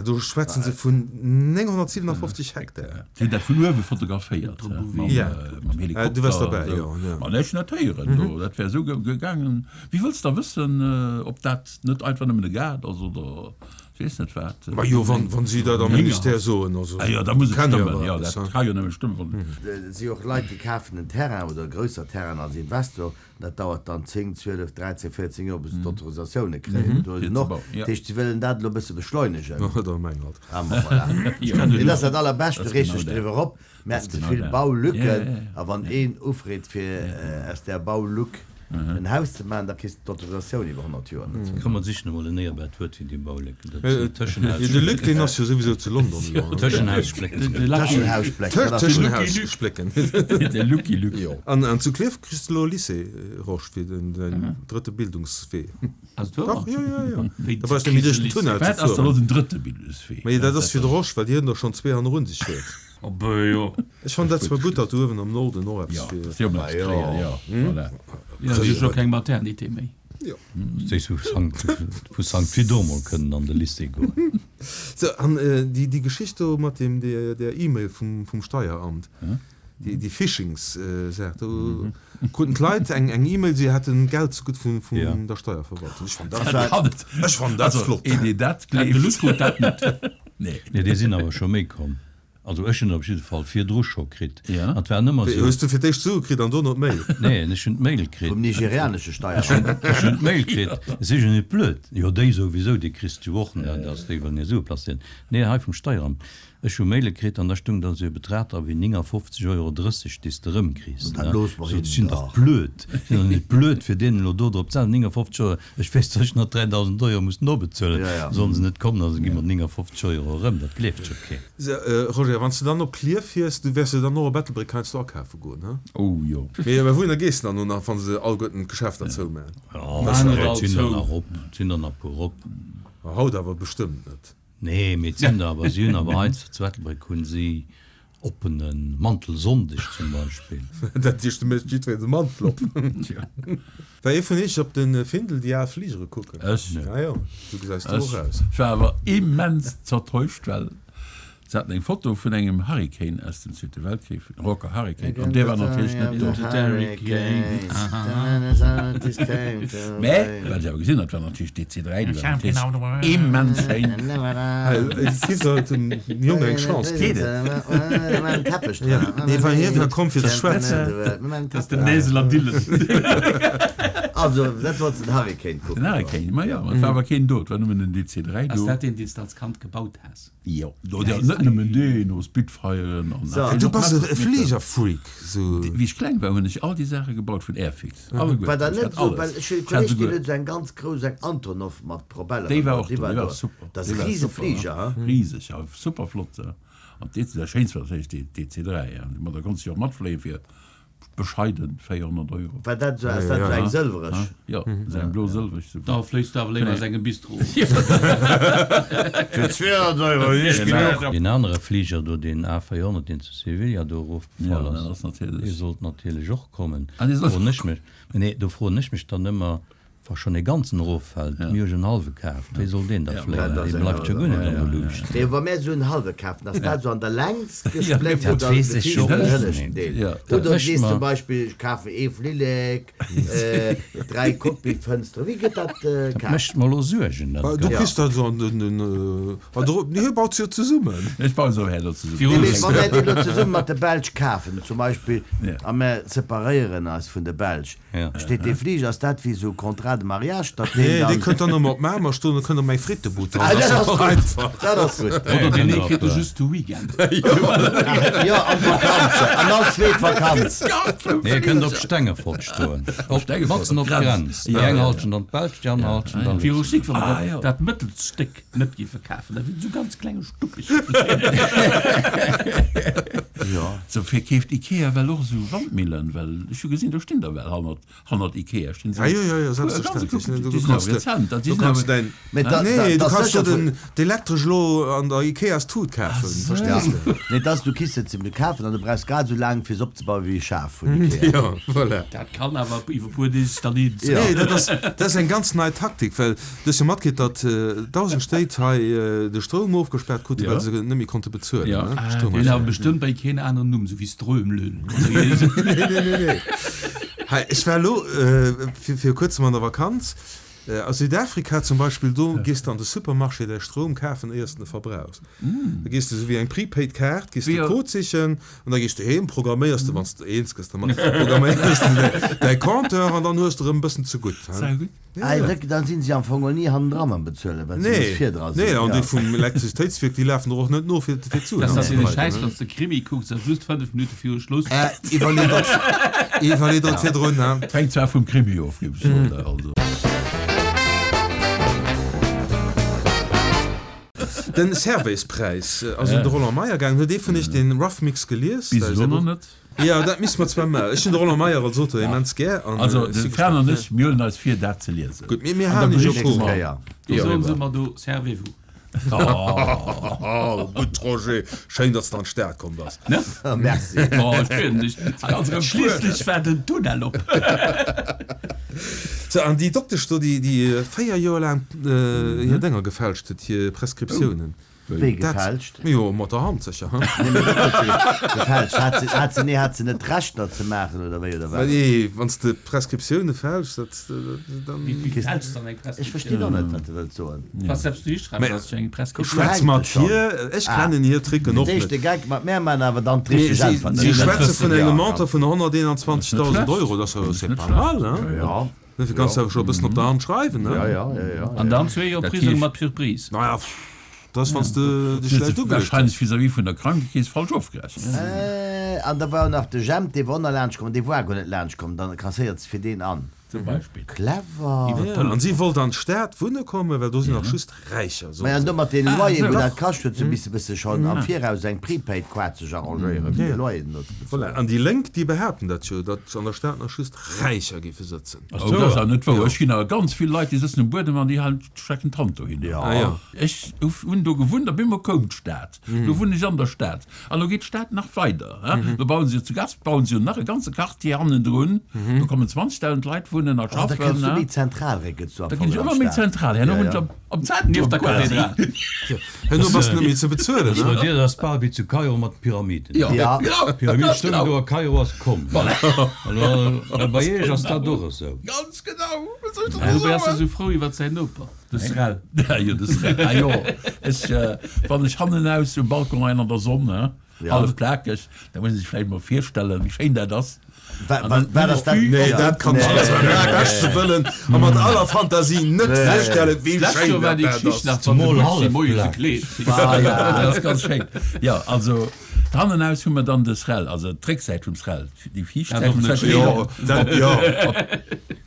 S1: Do schwätzen se vun 957 Hektar.
S5: Si hunn dat vun uewe fotograféiert, mam Helikopter.
S1: Du waars derbäi, jo.
S5: Ma nee, ech hunn dat héieren do. Dat wär esou gegaangen. Wéi wëlls de da wëssen, ob dat net einfach nëmmen e Gaart ass oder Ech weess net wat.
S1: Majo, wann si dat am Ministère soen, also.
S5: Ah jo, da muss et stëmmen, jo, dat ka jo nëmme stëmmen, wann.
S3: Et si och Leit, déi kafen en Terrain oder e grousser Terrain als Investor, dat dauert dann 10, 12, 13, 14 Joer, bis se d'Autorisatioune kréien. Do ass en och. Dat heescht, si wëllen dat elo e bësse beschleunegen. Ah, ma voilà. Mee dat ass dat Allerbescht, du reegs dech driwwer op, mir hätten ze vill Baulücken, a wann een ufreet, fir aus där Baulück. en Haus ze maachen, da kriss de d'Autorisatioun iwwer 100 Joer net.
S2: Komm mer sichen emol en éierbart Wuert fir déi Baulécken. Dat
S1: sinn Tëschenhaussplécken. De Luc, deen ass jo souwisou zu London elo.
S2: Tëschenhaussplécken.
S3: Tëschenhaussplécken, dat ass gutt.
S1: Tëschenhaussplécken.
S5: De Lucky Luc.
S1: Jo. An zu Klierf kriss de elo e Lycée, Rosch, fir den drëtte Bildungswee.
S4: Ass et wouer?
S1: Dach, jo, jo, jo. Da brauchs de méi duerch den Tunnel ze
S5: Wat ass da
S1: fueren.
S5: elo den drëtte Bildungswee?
S1: Mee dat ass fir de Rosch, well hien der schonn zwee hannerun sech huet.
S4: Oh böh, jo.
S1: Ech fannen dat zwar gutt, datt uewen am Norden och eppes
S5: Jo,
S1: fir.
S5: dass déi och eppes kréien, jo, voilà.
S4: Jo, si hu scho keng Maternité méi.
S1: Jo.
S2: Déi vu Sankt, vu Sankt Vidor mol kënnen an de Lycée goen.
S1: Sou, an déi, déi Geschicht do mat deem, där, där E-Mail vum, vum Steieramt, déi, déi Phishings-Saach, do kruten d'Leit eng, eng E-Mail, si hätten Geld zegutt vun, vun der Steierverwaltung. Ech fannen dat, ech fannen dat flott.
S5: Also, een, deen dat
S4: De
S5: gleeft.
S4: Luc huet dat net.
S5: Nee.
S2: Nee, déi sinn awer scho méi komm. Also ech hunn der op jidde Fall virdru scho kritt.
S5: Ja.
S2: An et war ëmmer
S1: Wéi,
S2: esou.
S1: hues du fir d'éischt d'Sue kritt an dono d'Mail?
S2: Nee, ech hunn d'Mail kritt.
S3: Vum nigerianesche Steieramt.
S2: Ech hunn d'Mail kritt. Ech si jo net blöd. Jo, déi souwisou, déi kriss du och, ne, dass déi wëllen hir Sue placéieren. Nee, hei vum Steieramt. Ech hu Maile kritt an da stung da sou e Betrag dra wéi 59,30 Euro, déi s de erëmkriss,
S3: Dat
S2: ne.
S3: looss mer
S2: Sot,
S3: hinnen
S2: ech sinn dach
S3: dach.
S2: blöd. Ech sinn dach net blöd, fir deenen elo do drop ze setzen, 59 Euro. Ech weess, datt ech nach 3.000 Euro muss nobezuelen.
S3: Ja, ja.
S2: Sollen se net kommen, also gi mer 59 Euro erëm. Dat gleeft jo keen.
S1: So, Roger, wann s de dann op Klierf fiers, du wäers jo dann och op Ettelbréck heiansdo akafe goen, he?
S5: Oh jo.
S1: Mee mä wouhinner gees de dann no nach, wa se alleguerten d'Geschäfter zoumaan?
S2: Jo,
S4: Maan net
S2: et
S4: all
S2: sinn der
S4: zou.
S2: nach op, et sinn der nach puer op.
S1: Ma haut awer bestëmmt net.
S2: Nee, mee et sinn der awer, si hunn awer heiansdo zu Ettelbréck hunn si Oppene Mantelsonndeg zum Beispill.
S1: Dat heescht, du méchs jiddwereen de Mantel op. War ee vun iech op de Findel déi al Fligere kucken?
S5: Ech.
S1: Ah jo, sou gesäis du och aus.
S5: Ech war awer immens zertäuscht, well se haten eng Foto vun engem Hurricane aus dem Zweete Weltkrich, Hawker Hurricane, an dee war natierlech net do. Mä wat ech awer gesinn hat, war natierlech DC 3, déi war natierlech immens schéin.
S1: Si sollt dem Jong eng Chance ginn. Nee, well hie war komm fir ze schwätzen.
S4: Dat ass den Näseler Dylan.
S3: Also, dat wolls de den Hurricane kucken
S5: Den Hurricane, ma jo, ma et war awer keen do, et war nëmmen den DC 3
S4: Ass
S5: do.
S4: dat deen, deen s de als Kand gebaut has?
S5: Jo, oder net nëmmen deen, o Spitfiren an
S3: So.
S1: Du bass e Fligerfreak, sou.
S5: Wéi ech kleng war, hunn ech all déi Saache gebaut vun Airfix, alleguerten.
S3: War dat
S5: Ech
S3: net
S5: hat
S3: sou,
S5: alles.
S3: well ech hunn e
S5: Ech hat
S3: Kolleg, deen
S5: souguer.
S3: huet sou eng ganz grouss, eng Antonov mat Propeller
S5: Déi war
S3: gebaut,
S5: och
S3: déi
S5: do,
S3: war
S5: déi war
S3: do.
S5: super.
S3: Dat ass
S5: Déi
S3: e
S5: war
S3: rise
S5: super,
S3: Fliger,
S5: ja.
S3: he?
S5: Riseg, ja, super flott, ja. An d'DC, dat schéinst war natierlech déi DC 3, ja. Ma da konns du jo och matfléien fir Bescheiden 400 Euro.
S3: War dat esou, ass dat esou eng sëlwereg?
S5: Jo, esou eng blo-sëlwereg.
S4: Da fléis du awer léiwer aus engem Bistro.
S3: Fir 200 Euro hunn ech genuch.
S2: Deen anere Fliger do, deen A400, deen zu Sevilla do erofgefall ass, dee sollt natierlech och kommen. Froen ech mech, nee, do froen ech mech dann ëmmer, Wa schonn e ganzen eroffält, mir hu jo en hallwe kaf, wéi soll deen da fléien? Dee bleift jo guer net an der Luucht.
S3: Mee wa mär esou en hallwe kafen, ass dat esou an der Längs gespléckt
S2: Dat
S3: oder
S2: weess
S3: de
S2: ech jo
S3: viischten
S2: och
S3: an hënneschten
S2: net.
S3: Deel?
S2: Dat
S3: Oder du
S2: mécht
S3: sees zum
S2: mer.
S3: Beispill, ech kafen ee Flillek, dräi Cockpitfënsteren. Wéi gëtt dat
S2: Dat
S3: kaf?
S2: mécht mer elo Suergen, dat
S1: Du
S2: Ganzt.
S1: kriss dat esou an den, hie baut se jo zesummen.
S5: Ech baue se och herno zesummen.
S3: Nee, mee wa mär deen elo zesumme mat de Belsch kafen, zum Beispill, a mär separéieren eis vun de Belsch, Steet dee Fliger, ass dat wéi esou Contrat de mariage, datt deen
S1: Nee,
S3: dann.
S1: dee kënnt dann ëmmer op Mamer stoen, da kënnt der mäi Frittebud dran.
S3: Ah, dat ass gutt,
S1: einfach.
S3: dat ass gutt.
S4: Oder deen ee kritt e just de Weekend.
S3: Jo, an d'Vakanz, an all zweet Vakanz.
S2: Nee, e kënnt op Stengefort stoen, op, matzen op d'Grenz. Déi eng Halschent an d'Belsch, déi aner Halschent an
S4: Viru
S2: Lëtzebuerg.
S4: Schick, wa mer dat, dat mëttelst Stéck net géife kafen, dat wier esou ganz klenge Stuppeg.
S5: Sou verkeeft Ikea well och esou Wandmillen, well ech hu gesinn, do stinn der well hannert, hannert Ikea stinn
S1: Ja, jo, jo, jo, selbstverständlech. Du kanns de, du kanns däin,
S3: Mee da,
S1: nee, du
S3: da,
S1: kanns
S3: sécher
S1: do
S3: vun,
S1: den, d'Elektresch elo an der Ikeas Tut kafen, verstees de?
S3: Nee, dass du kriss se ze kafen an du brauchs grad esou laang fir se opzebauen wéi e Schaf vun Ikea.
S1: Jo, voilà.
S4: Dat kann awer iwwer e puer Deeg dann een.
S3: Ja.
S1: Nee, dat ass, dat ass eng ganz nei Taktik, well du hues jo matkritt, datt 1.000 Stéit hei de Stroum ofgespaart kruten, well se net méi konnte bezuelen,
S5: Ja.
S1: ne?
S4: Deen
S1: Stroumrechnung.
S4: awer bestëmmt bei keen aneren Numm, sou wéi Strömlön.
S1: Nee, nee, nee, nee. Hei, ech war elo vir, vir kuerzem an der Vakanz. A Südafrika zum Beispill, do gees de an de Supermarché däi Stroum kafen, éiers de e verbrauchs. Da gees de esou wéi eng Prepaid Kaart, gees de Code sichen an da gees de heem, programméiers de, wann s de eens gëss dermat, programméiers de däi Compteur an dann hues de erëm e bëssen zegutt.
S3: Ah, da sinn si am Fong och ni hannendra mam Bezuelen, well se nees virdra
S1: sinn. Nee, an déi vum Elektrizitéitswierk, déi lafen der och net no fir d'Suen
S4: Dat ass dee Schäiss, wann s de Krimi kucks a just 5 Minutte viru Schluss.
S1: Iwwerlee dat, iwwerlee dat virdrun, he.
S5: Hänkt zwar vum Krimi of, géif ech soen, also.
S1: Den Servais-Präis ass un de Roland Meyer gaangen. Huet ee vun iech den Rough Mix gelies?
S5: Bis elo nach net.
S1: Jo, dat misste mer zwar maachen. Ech hunn de Roland Meyer als Auteur immens gär.
S5: Also de Fran an ech, mir huelen eis vir, dat ze liesen.
S1: Gutt, mir halen iech au courant.
S4: Do soen se mer do, Servez-vous.
S1: Oh, gutt Roger, schéin datt s de an d'Stad komm bass.
S3: Merci.
S4: Oh, ech bieden dech. Schliisslech war den Tunnel op.
S1: Sou, an déi Doktesch do, déi 4 Joer laang hir Dénger gefälscht huet, hir Prescriptiounen.
S3: Wéi gefälscht?
S1: Jo, mat der Hand sécher, he?
S3: Nee, mee wat huet se gefälscht? Hat se, hat se, nee, hat se net d'Recht dat ze maachen, oder wéi, oder wat?
S1: Nee, wann s de Prescriptioune fälschs, dat, dann.
S4: Wéi fälschs dann eng
S3: Ech verstinn och net, wat de wëlls soen.
S4: Wat selbst du hischreiws, ass jo eng Prescriptioun.
S1: Schwätz mat hir, ech kennen hir Tricken och net.
S3: De éischte Geck mat mär maachen awer dann d'richteg
S1: Äntwert. Si schwätze vun engem Montant vun 121.000 Euro, dat ass jo, c'est pas mal, hein?
S3: Jo.
S1: Dofir kanns de awer scho e bëssen op der Hand schreiwen, ne?
S3: Ja, ja, ja, ja.
S4: An dann zwee Joer Prisong mat Surprise.
S1: Naja, dat ass, wann s de dech schlecht ugeluecht hues.
S5: Wahrscheinlech vis-à-vis vun der Krankekeess falsch ofgerechent.
S3: An da war och nach de Jemp, dee war och nach laanscht komm, dee war guer net laanscht komm, dann kasséiert se fir deen an.
S5: Zum Beispill.
S3: Clever!
S1: Ja, an si wollt an d'Stad wunne kommen, well do sinn nach just Räicher,
S3: soen Maja, an do mat deene Loyeren, wou dat kascht huet, se misse bësse schonn am Viraus eng Prepaid-Kaart sech arrangéieren, fir de Loyer do ze
S1: bezuelen. Voilà, an déi Lénk, déi behaapten dat jo, datt an der Stad nach just Räicher géife sëtzen.
S5: Oh, dat ass awer net wouer. Ech ginn awer ganz vill Leit, déi sëtzen um Buedem an déi halen, strecken d'Hand dohinner.
S1: Ah jo.
S5: Ech hunn do gewunnt a bemol koum d'Stad. Lo wunnen ech an der Stad. An lo geet d'Stad nach weider. Lo bauen se jo zu Gasp bauen se jo nach e ganze Quartier hannendrun. Do kommen 20.000 Leit wunnen a
S3: schaffen. Also da kënns du méi zentral, réckels du am
S5: Da ginn ech
S3: Fong
S5: ëmmer méi zentral. Herno wunn ech am Zentrum
S4: Nieft der
S5: quasi.
S4: Kathedral.
S1: Herno bass de net méi ze bezuelen,
S2: Bei dir ass bal wéi zu Kairo mat de Pyramiden.
S5: Ja,
S3: Ja.
S2: D'Pyramid
S5: ganz
S2: stoung
S5: genau.
S2: do a Kairo ass komm.
S5: Voilà.
S2: An bei iech ass dat och esou.
S5: Ganz genau. Wat soll ech der
S4: Dobäi ass e
S5: soen?
S4: sou frou iwwert säin Noper.
S5: De Srel. Jo, de Srel. Ah jo, ech, wann ech hannenaus um Balcon leien an der Sonn, he, hallef plakeg, da muss ee sech vläicht mol virstellen, wéi schéin dat ass.
S3: Wa, wa, wat ass dat?
S1: Nee, dat kann ech mir zwar mam beschte Wëllen a mat aller Fantasie net virstellen, wéi
S4: D'lescht
S1: schéin
S4: Joer war
S1: dat
S4: déi
S1: dat
S4: Geschicht
S1: ass.
S4: nach, wann de
S2: Zemol
S4: Butzi
S2: hallef
S4: moies e
S2: plakeg.
S4: Kleed
S5: Ah jo, dat ass ganz schéin. Jo, also hannenaus hu mer dann de Srel, also d'Récksäit vum Srel, déi viischt Säit vum Srel.
S1: Jo, dat, jo.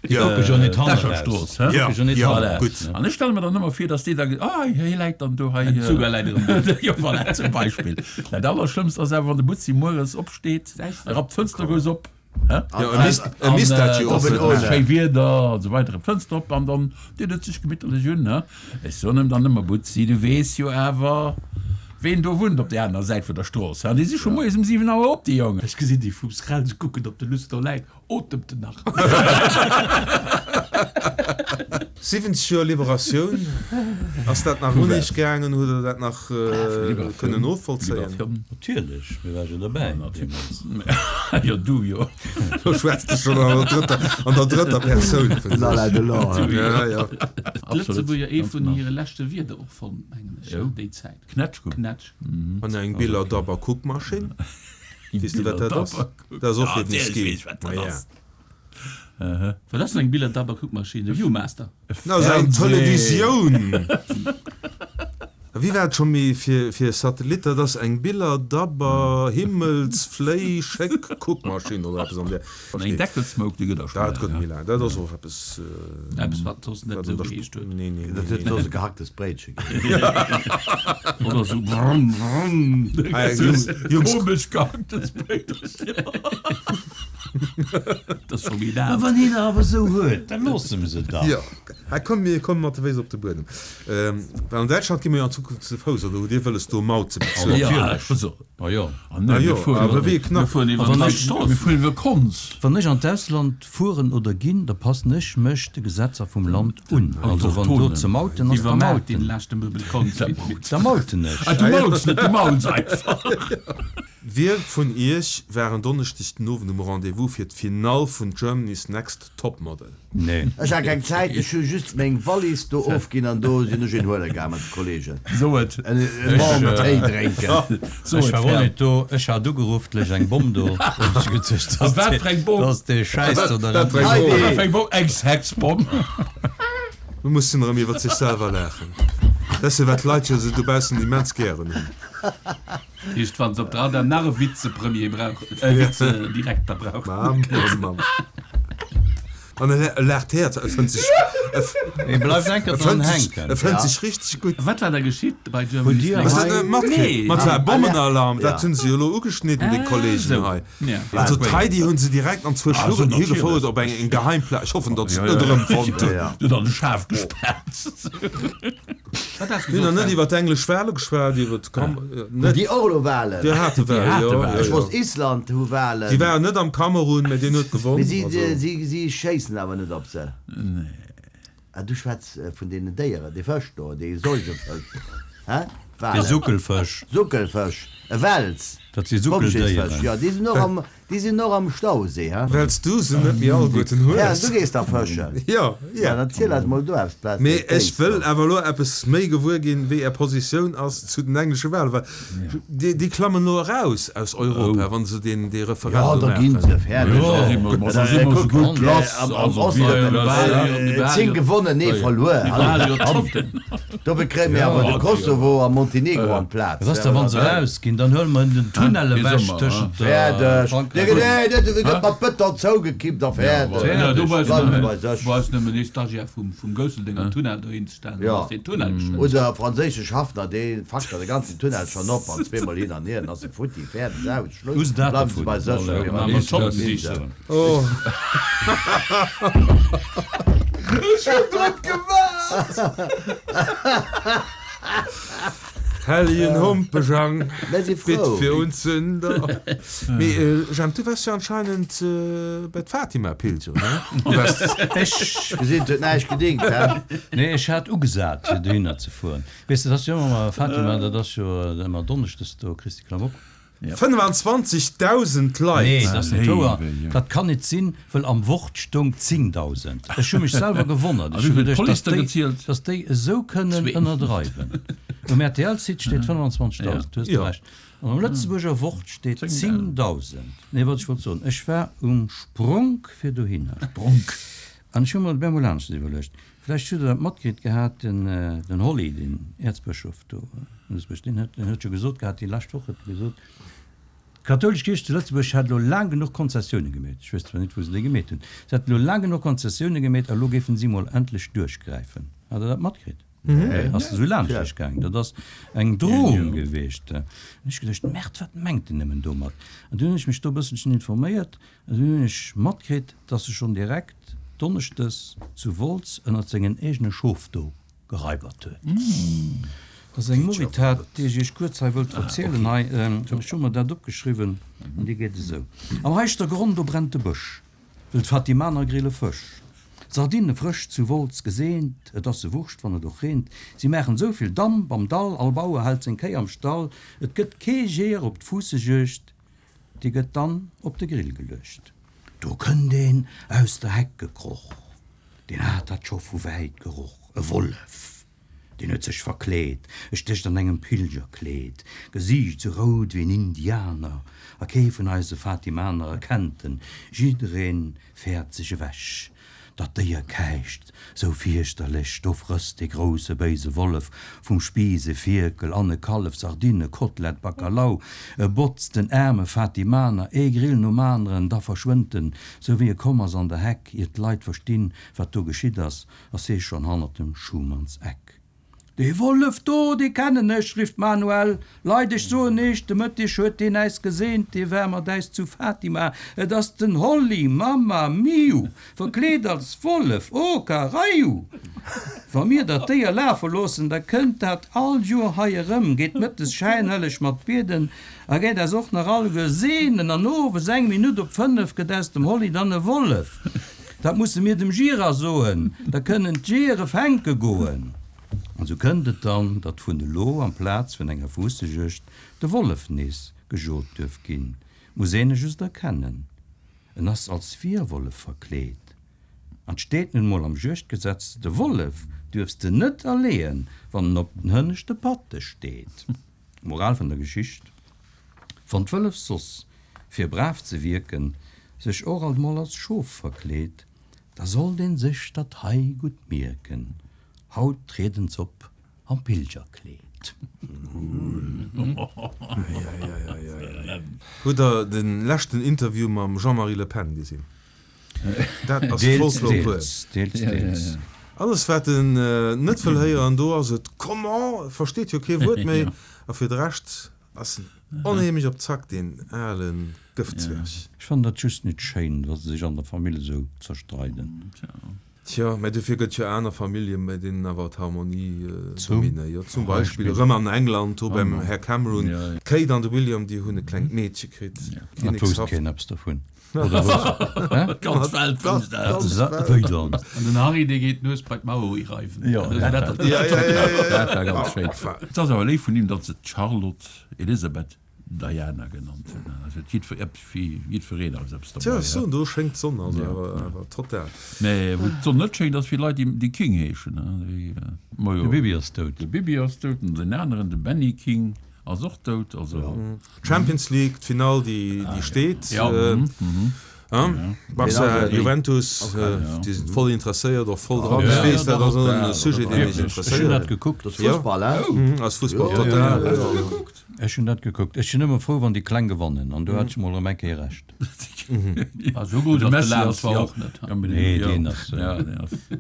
S2: Déi kucke jo net hanne raus.
S5: D'Escherstrooss, hä?
S1: Ja,
S2: Kucke jo net
S1: ja,
S2: hanne raus.
S1: gutt.
S5: An ech stelle mer dann ëmmer vir, dass déi da, ah, hie läit dann do hei.
S4: Den Zuger läit erëm do.
S5: Jo, voilà, zum Beispill. Dat Allerschlëmmst ass awer, wann de Butzi mueres opsteet, rappt d'Fënster grouss op, hä?
S1: Jo, e misst, e misst dat jo och net maachen.
S5: Schéi Wieder an esou weider, d'Fënster op an dann deet et sech gemitterlech un, hä? Ech soen em dann ëmmer, Butzi, du weess jo awer, ween do wunnt op där anerer Säit vun der Strooss, hä? Déi si scho moies um 7 Auer op, déi Jongen.
S4: Ech gesinn déi vum Srel, se kucken, ob de Luss do läit. Otemt en nach?
S1: 70 Joer Liberatioun, ass dat nach un Iech gaangen? Hutt Der dat nach kënnen novollzéien?
S2: Natierlech, mir ware jo derbäi deemools.
S5: Jo, du jo.
S1: Lo schwätzt de schonn an der drëtter, an der drëtter Persoun vun
S3: Den Alain Delon.
S1: Ja, ja.
S4: D'Lëtzebuerger ee vun hire leschte Wierder och fonnt, mengen ech, déi Zäit.
S5: Knätsch.
S4: Knätsch.
S1: An eng Biller-Dabber-Kuckmaschinn. Weess de, wat dat ass? Dat ass och fir den Ski.
S4: Wat ass denn eng Biller-Dabber-Kuckmaschinn? E Viewmaster?
S1: Dat ass eng Televisioun! Wéi war et scho méi fir Satellit? Dat ass eng Biller-Dabber Himmels Fléi Schéck Kuckmaschinn oder eppes an där.
S5: Eng Deckelsmouk, déi gëtt der scho
S1: Dat gëtt méi laang. Dat ass och eppes.
S4: Eppes wat soss net esou geheescht huet.
S1: Nee, nee,
S3: Dat
S1: nee,
S3: huet
S1: nee.
S3: soss e gehacktes Bréitche ginn.
S4: Oder esou brrrm, brrrm.
S1: Ah, Jungs, Jungs.
S5: Komesch gehacktes Bréitchen.
S4: Dat ass scho méi
S2: Mä
S4: laang.
S2: wann een der awer esou huet, da loosse mer se dach.
S1: Jo, hei komm, mir komme mat de Féiss op de Buedem. Well an Däitschland gi mer jo an Zukunft ze Fouss, oder hutt Dir wëlles do Maut ze bezuelen?
S2: Natierlech.
S5: Also,
S2: Ah jo.
S5: Ah nee, mir fueren
S1: awer wéi e Knapp.
S4: Mir fueren iwwer
S2: Wann
S4: d'Fried
S2: ech-
S4: Strooss.
S5: Mir fueren iwwer Konz.
S2: Wann ech an d'Ausland fueren oder ginn, da passen ech mech de Gesetzer vum Land un. Also wann do ze mauten ass, da
S4: Iwwer Maut, deen
S2: mauten.
S4: leschte Möbel Konz.
S2: Da mauten ech.
S5: Ah, du mauts net, du mauls einfach.
S1: Wie vun iech war en Donneschdeg den Owend um Rendez-vous fir d'Finall vun Germany's Next Top Model?
S2: Nee.
S3: Ech hat keng Zäit, ech hu just meng Wallis do ofginn an do sinn ech een huele gaang mat de Kollegen.
S5: So et.
S3: En warmen Téi drénken.
S5: So
S2: Ech
S5: et,
S2: war och
S5: Ferl.
S2: net do. Ech hat ugeruff, et léich eng Bomm do. Hunn ech geduecht,
S5: A
S2: dass
S5: wat
S2: dee,
S5: fir eng Bomm?
S2: dass dee Schäiss do der
S1: Wat fir eng
S3: Heidi!
S1: Bomm?
S5: Wat fir eng Bomm? Eng Sexbomm?
S1: Mir mussen erëm iwwert sech selwer laachen. Dat ass jo wat d'Leit jo esou dobaussen immens gären hunn.
S4: Heescht, wann se op der Radar nach e Vizepremier brauchen, e Vizedirekter brauchen.
S1: Mam, mam, mam. An e laacht d'Häerz, e fënnt sech,
S2: E bleift enker
S1: e
S2: dran
S1: fënnt sech,
S2: hänken.
S1: e fënnt sech richteg gutt.
S4: Wat war da geschitt bei
S2: Hutt
S4: Germany's
S2: Dir
S4: Next?
S1: Hues de dat net matkritt?
S4: Nee.
S1: Mat war Bommenalarm,
S3: Ja.
S1: dat hunn se jo elo ugeschnidden, déi
S4: Ah,
S1: Kollegen
S4: esou.
S1: hei.
S4: Ja.
S1: Also d'Heidi hunn se direkt an zwou
S5: Ah, esou,
S1: Schlurren higefouert
S5: natierlech.
S1: op eng eng geheim Plaz. Ech hoffen, datt se
S5: Ja,
S1: et net
S5: ja.
S1: erëmfonnt hunn.
S3: Ja.
S5: Net an de Schaf gespaart.
S4: Wat has
S1: Mir hunn nach
S4: gesot,
S1: net
S4: Fred?
S1: iwwer d'englesch Wale geschwat, iwwer d'Kam-, net.
S3: Déi och elo Walen?
S1: Déi hate Wale, jo, jo,
S3: Ech
S1: jo.
S3: wosst Island hu Walen.
S1: Déi waren net am Kamerun, mä deen huet gewonn.
S3: Mee si,
S1: Also.
S3: si, si schéissen awer net op se. Ah, du schwätz vun deenen Déieren, dee Fësch do, dee Säugefësch, hä?
S2: De
S3: Walen.
S2: Suckelfësch.
S3: Suckelfësch, e Wels.
S2: Dat si
S3: Bommschéissfësch,
S2: Suckeldéieren.
S3: jo, déi sinn och am, déi sinn och am Stauséi, hä?
S1: Well s du se net méi alleguerten
S3: Ja,
S1: hues.
S3: du gees da fëschen.
S1: Jo,
S3: Ja,
S1: ja.
S3: dann ziel eis mol do eppes, Plaz
S1: Mee
S3: fir
S1: ech
S3: d'Kéis
S1: wëll
S3: do.
S1: awer elo eppes méi gewuer ginn, wéi Är Positioun ass zu den englesche Walen, well déi, déi klammen elo eraus aus Europa, wa se deen, dee
S3: Ja,
S1: Referendum
S3: da ginn
S1: maachen.
S3: se fäerdeg.
S5: Jo, da si mer, ma da si mer esou gutt lass.
S3: Am, am
S5: Also,
S3: Osten,
S5: wir,
S4: Mir
S3: 10 gewonnen, ee verluer.
S4: Mir ware jo Zotten.
S3: Dofir kréie mir awer de Kosovo a Montenegro an d'Plaz.
S2: Was ass da, wann se erausginn? Dann huele mer den Tunnel ewech tëschent
S3: Fäerdeg.
S2: Frankräich.
S3: Nee, nee, dee gëtt mat Bëton zougekippt a fäerdeg.
S4: Ja, do brauchst
S3: Bleiwen se
S4: du
S3: bei sech.
S4: brauchst nëmmen ee Stagiaire vum, vum Gousseldenger Tunnel dohin ze stellen, dann
S3: Ja.
S4: ass deen Tunnel geschnëtt.
S3: Oder franséische Schaffner, dee fackt da de ganzen Tunnel schonn op an zweemol hin an hier, dann ass e futti, fäerdeg, aus, Schluss.
S2: Us dat
S3: Bleiwen se
S2: dovun.
S3: bei sech.
S4: Ja,
S3: Mir
S4: mat
S3: waren
S4: Zotten
S3: Insel.
S4: sichen.
S1: Oh. Ech hunn drop gewaart! Hellegen Humpejang,
S3: Mir si
S1: bitt
S3: frou.
S1: fir uns Sünder. Mee Jemp, du waars jo anscheinend bei d'Fatima pilgeren, ne? Du waars.
S2: Ech.
S3: Gesinn, et huet näischt gedingt, hä?
S2: Nee, ech hat ugesat, fir dohinner ze fueren. Weess de, dat ass jo ëmmer ma Fatima, dat ass jo ëmmer donneschdes do, Christi Klamauk.
S1: 25.000 Leit!
S2: Nee, dat ass net wouer.
S5: Léiwe Jong.
S2: Dat kann net sinn, wëll am Wort stoung 10.000. Ech hu mech selwer gewonnert.
S5: A
S2: Ech
S5: wéi
S2: hu
S5: vill
S2: geduecht,
S5: d'Police
S2: dass
S5: da
S2: déi,
S5: gezielt?
S2: dass déi esou kënnen
S4: Zwee.
S2: ënnerdreiwen. Um RTL-Site steet 25.000, du hues
S1: Ja.
S2: recht. An am Lëtzebuerger Wort steet 10.000. Nee, wat ech wollt soen, ech war um Spronk fir dohinner.
S5: Spronk.
S2: An ech hu mer op eemol aneschters iwwerluecht. Vläicht hutt Der dat matkritt gehat, den, den Holly, den Äerzbëschof do zu Lëtzebuerg, deen huet, deen huet jo gesot gehat, déi lescht Woch huet e gesot, d'kathoulesch Kierch zu Lëtzebuerg hätt elo laang genuch Konzessioune gemeet. Ech weess zwar net, wou se déi gemeet hunn. Se hätten elo laang genuch Konzessioune gemeet a lo géifen si mol endlech duerchgräifen. Hat Der dat matkritt? Ass esou laanscht lech gaangen? Dat ass eng Drohung geweecht. An ech geduecht, Merde, wat mengt en nëmmen domat? An dunn hunn ech mech do e bësselchen informéiert an dunn hunn ech matkritt, dass e schonn direkt Donneschdes zu Wolz ënnert sengen eegene Schof do geraibert huet. Dat ass eng Moritat, déi ech iech kuerz hei wëllt verzielen. Hei, ech hu mer dat opgeschriwwen an déi geet esou, Am Heischter Gronn, do brennt de Bësch, wëll d'Fatimaner grille Fësch. D'Sardinne frësch zu Wolz geseent, et ass se wurscht, wann et och reent. Si maachen esou vill Damp am Dall, all Bauer hält seng Kéi am Stall. Et gëtt kee Jeeër op d'Fuussejuegd, Déi gëtt dann op de Grill geluecht. Do kënnt een aus der Heck gekroch, deen hat dat scho vu wäit geroch, e Wollef, deen huet sech verkleet, e stécht an engem Pilgerkleed, Gesiicht sou rout wéi en Indianer, a kee vun eise Fatimaner erkennt en, jiddereen fäert sech ewech. Dat Déier käicht sou fierchterlech, do frësst dee grousse béise Wollef vum Spiiss e Fierkel an e Kallef, Sardine, Kotlett, Bakalau. E botzt den aarme Fatimaner ee Grill nom aneren, da verschwënnt en, sou wéi e komm ass an der Heck. Ier d'Leit verstinn, wat do geschitt ass, ass hee schonn hannert dem Schumanns Eck. Dee Wollef do, dee kennen ech, rifft d'Manuel. Leit, ech soen iech, de Mëtteg huet deen äis geseent, dee war mat äis zu Fatima. Et ass den Holly, Mamma miu, verkleet als Wollef, oh Karaiu! Wa mir dat Déier lafe loossen, da kënnt dat all Joer hei erëm, geet mëttes schäinhelleg mat bieden a geet äis och nach alleguer seenen. An owes eng Minutt op fënnef gëtt aus dem Holly dann e Wollef. Dat musse mir dem Gira soen, da kënnen d'Jeeër e fänke goen. An sou kënnt et dann, datt vun elo amplaz vun enger Fuussejuegd de Wollef nees gejot duerf ginn. Muss een e just erkennen, en ass als Wierwollef verkleet. An 't steet nun mol am Juegdgesetz, de Wollef duerfs de net erleeën, wann en op den hënneschte Patte steet. Moral vun der Geschicht, Wann d'Wëllef soss, fir brav ze wierken, sech och alt mol als Schof verkleet, da sollt een sech dat hei gutt mierken, Haut trieden s'op am Pilgerkleed.
S1: Hutt der de leschten Interview mam Jean-Marie Le Pen gesinn? Dat ass
S2: Deels,
S1: Folklor pur.
S2: deels, deels, deels.
S1: Alles wat en net wëll héieren, do ass et comment, versteet jo kee Wuert méi. A fir de Rescht ass en onheemlech op Zack, deen ale Gëftzwerg.
S2: Ech fannen dat just net schéin, wa se sech an der Famill esou zerstreiden.
S1: Tjo, mä dofir gëtt jo aner Familljen, bei deenen awer d'Harmonie
S2: Zum
S1: dominéiert. Zum Beispill erëm an England, do beim Här Cameron. D'Kate an de William, déi hunn e klengt Meedche kritt.
S2: Dat wousst keen eppes dovun, oder wousst, hä?
S5: D'ganz Welt wousst dat.
S2: Wéi dann?
S4: An den Harry, dee geet d'Nues bei d'Mauer ireiwen.
S5: Jo,
S4: dat
S5: war ganz schéin. Et ass awer léif vun him, datt se d'Charlotte Elizabeth Diana genannt hunn. Also huet jiddfer eppes fir jiddfereen ass eppes
S1: Tja, derbäi. ech soen, do schéngt d'Sonn also awer awer total.
S5: Mä wou d'Sonn net schéngt, ass fir Leit, déi déi King heeschen, déi, majo.
S2: De Bibi ass dout.
S5: De Bibi ass dout an deen aneren, de Benny King, ass och dout. Also.
S1: D'Champions League, d'Finall, déi déi steet. Barça, Juventus, déi sinn voll interesséiert, och voll dran. Ech weess, dat ass och e Sujet, deen iech
S2: interesséiert. Ech hunn dat gekuckt.
S3: Dat ass Fussball,
S1: hein? Ass Fussball, total.
S2: Hues du gekuckt? Ech hunn dat gekuckt. Ech sinn ëmmer frou, wann déi Kleng gewannen, an do hat ech mol erëm eng Kéier Recht.
S4: Esou grouss ass de Lahm zwar och net.
S2: Nee, deen ass,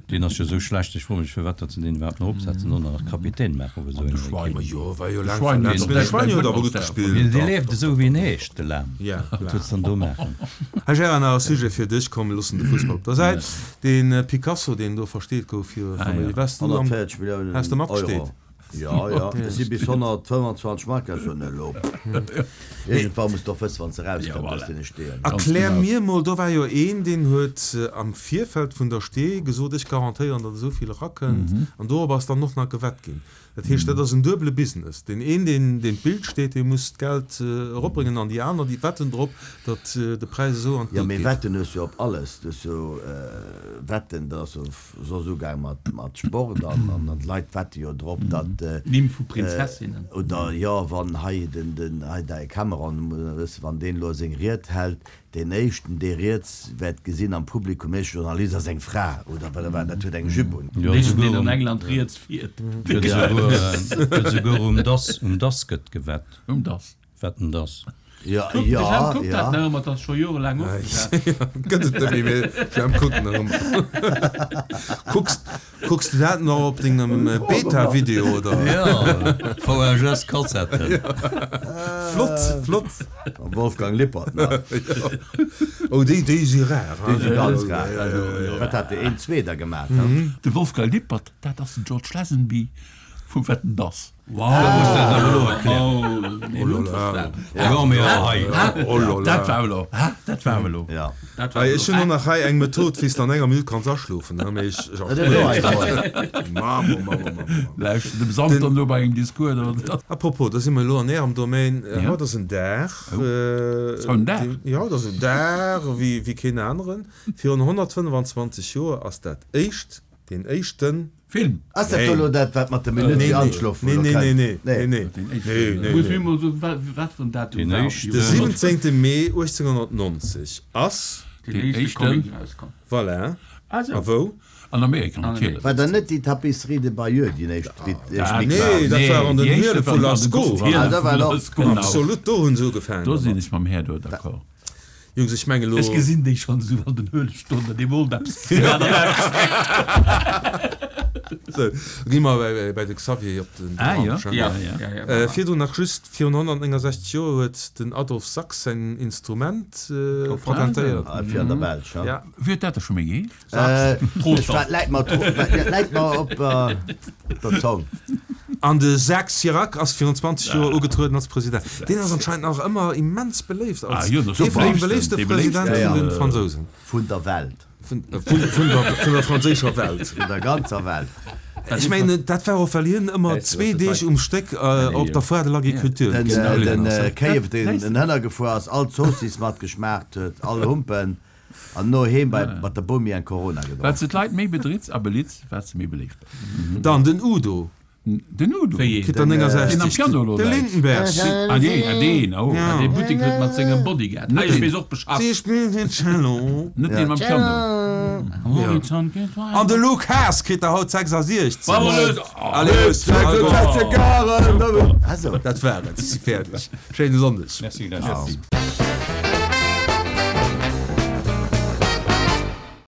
S2: deen ass jo esou schlecht. Ech froe mech, firwat datt se deen iwwerhaapt nach opsetzen an nach Kapitän maachen op esou enger Ekipp.
S1: Jo, war jo laang verletzt, mee de Schweini huet awer gutt gespillt.
S2: Dee leeft esou wéi en heescht, de Lahm. Wat wëlls de dann do maachen?
S1: Hei Gérard, nach e Sujet fir dech. Komm, mir loossen de Fussball op der Säit. Dee Picasso, deen do versteet gouf fir Famille, waars du am,
S3: 140 Milliounen
S1: has de matgesteet?
S3: Euro. Jo, jo, et si bis 125 Mark, ech soen elo. Iergendwann muss de och wëssen, wann s de erauskënnt aus deene Steeën.
S1: Erklär mir mol, do war jo een, deen huet am Virfeld vun der Stee gesot, ech garantéieren, datt esou vill erakënnt, an dorop ass dann och nach gewett ginn. Dat heescht, dat ass en duebele Business. Deen een, deen deen d'Bild steet, dee muss d'Geld eropbréngen, an déi aner, déi wetten drop, datt de Präis esou an
S3: Jo,
S1: d'Lut
S3: mee
S1: geet.
S3: wetten hues jo op alles. Du hues jo wetten, dat ass jo soss ugaang mat mat Sport an an d'Leit wette jo drop datt
S4: Nimm vu Prinzessinnen.
S3: Oder jo wann hei den den hei däi Cameron wëss wann deen elo seng Ried hält, deen éischten dee riets wäert gesinn am Publikum, éischte Journalist ass eng Fra oder wat wat dat huet eng Jupe un.
S4: Den éischten deen an England riets fiert.
S2: Gëtt esouguer um dass um dass gëtt gewett.
S5: Um dass.
S2: Wat denn dass?
S3: Ja,
S4: Kuck, de
S3: ja,
S4: Jemp kuckt
S3: ja.
S4: dat nach ëmmer, dat ass scho jorelaang ofgesat.
S1: Gëtt et net méi, mee Jemp kuckt nach ëmmer. Kucks, kucks de dat nach op dengem Beta-Video, oder?
S2: Ja, VHS-Kassetten.
S1: Flott, flott.
S3: Mam Wolfgang Lippert nach.
S1: Oh, déi, déi si rar,
S3: Déi si ganz rar. Wat hat de een Zweeder gemaat, he?
S5: De Wolfgang Lippert, dat ass den George Lazenby vu Wetten, dass. Dat war elo, dat war elo.
S1: Hei, ech hunn och nach hei eng Method, wéi s de an enger Minutt kanns aschlofen. Mee ech Mammo, mammo, mammo.
S5: Lauschten dem Santer no bei engem Discours oder.
S1: Apropos, da si mer elo an Ärem Domaine. Haut ass en Dag.
S5: Ass haut en Dag?
S1: Jo, haut ass en Dag wéi keen aneren. Virun 125 Joer ass dat éischt, deen éischten.
S5: Film.
S3: Ass dat do elo dat wat mat de Minutt fir anschlofen
S1: Nee,
S3: elo
S1: nee,
S3: kënnt?
S1: nee, nee, nee, nee, nee,
S4: Muss
S1: nee.
S4: mir mol soen, wa wat fir en Datum
S2: Deen
S4: war op
S2: éischten.
S1: De 17. Mee 1890 ass.
S4: Deen éischte
S5: éischten.
S4: Comic erauskomm.
S1: Voilà.
S5: Ah sou.
S1: A wou?
S5: An Amerika natierlech.
S3: War dann net déi Tapisserie de Bayeux déi éischt, déi éischt
S5: Nee,
S3: Mick war?
S1: Nee, dat war an den
S5: déi éischte
S1: Hiele
S5: war
S1: vu
S5: an den
S1: Lascaux.
S3: Ah, dat war och.
S5: Genau.
S1: Absolut, do hunn se ugefaangen
S5: Do sinn
S1: dermat.
S5: ech mam Här do d'accord.
S1: Jungs, ech mengen elo.
S4: Ech gesinn déi schonn esou an den Höhle stoen an dee wollt eppes.
S1: Sou, gi mer bäi de Xavier op den
S5: Ah jo,
S1: Brunch.
S5: ja, ja.
S1: Virdrun nach just, Virun 169 Joer huet den Adolphe Sax säin Instrument patentéiert.
S3: Fir an der Belsch, ha?
S1: Ja.
S5: Wéi huet dat da scho méi geheescht?
S3: Ech, dat läit mer, dat läit mer op der Zong.
S1: An de Jacques Chirac ass virun 20 Joer ugetrueden als President. Deen ass anscheinend nach ëmmer immens beléift als ee vun de beléiftste Presidente vun de Fransousen.
S3: Vun der Welt.
S1: Vun der franséischer Welt.
S3: Vun der ganzer Welt.
S1: Ech mengen, dat war och, well hien ëmmer zwee Deeg um Stéck op der Foire de l'Agriculture
S3: Den Kéief, deen en Hënner gefuer ass, all d'Zoossiss mat geschmaacht huet, all Humpen, an no heem bei mat der Bomi eng Corona
S5: Wat
S3: gedronk.
S5: se d'Leit méi bedritz a belitz, wat se méi beléift bass.
S1: Dann den Udo.
S5: Den Udo?
S4: Wéi een?
S1: Kritt der
S5: Deen am
S1: 69.
S5: Piano elo
S1: De
S5: läit?
S1: Lindenberg.
S5: Ah deen, ah deen, oh.
S1: Ja.
S4: Dee Buttek huet mat sengem Bodyguard.
S5: Net
S4: Hei, ech
S5: deen.
S4: weess och Bescheid.
S1: Si spillt den Cello.
S5: Net deen mam Piano.
S4: Horizont geet weider.
S1: An de Luke Haas kritt der haut 66.
S4: Bravo Luc!
S1: Allez, Luc,
S3: 66 Jahre! Also.
S1: Dat war et, ech si fäerdeg. Schéine Sonndeg.
S2: Merci, gläichfalls.
S5: Merci.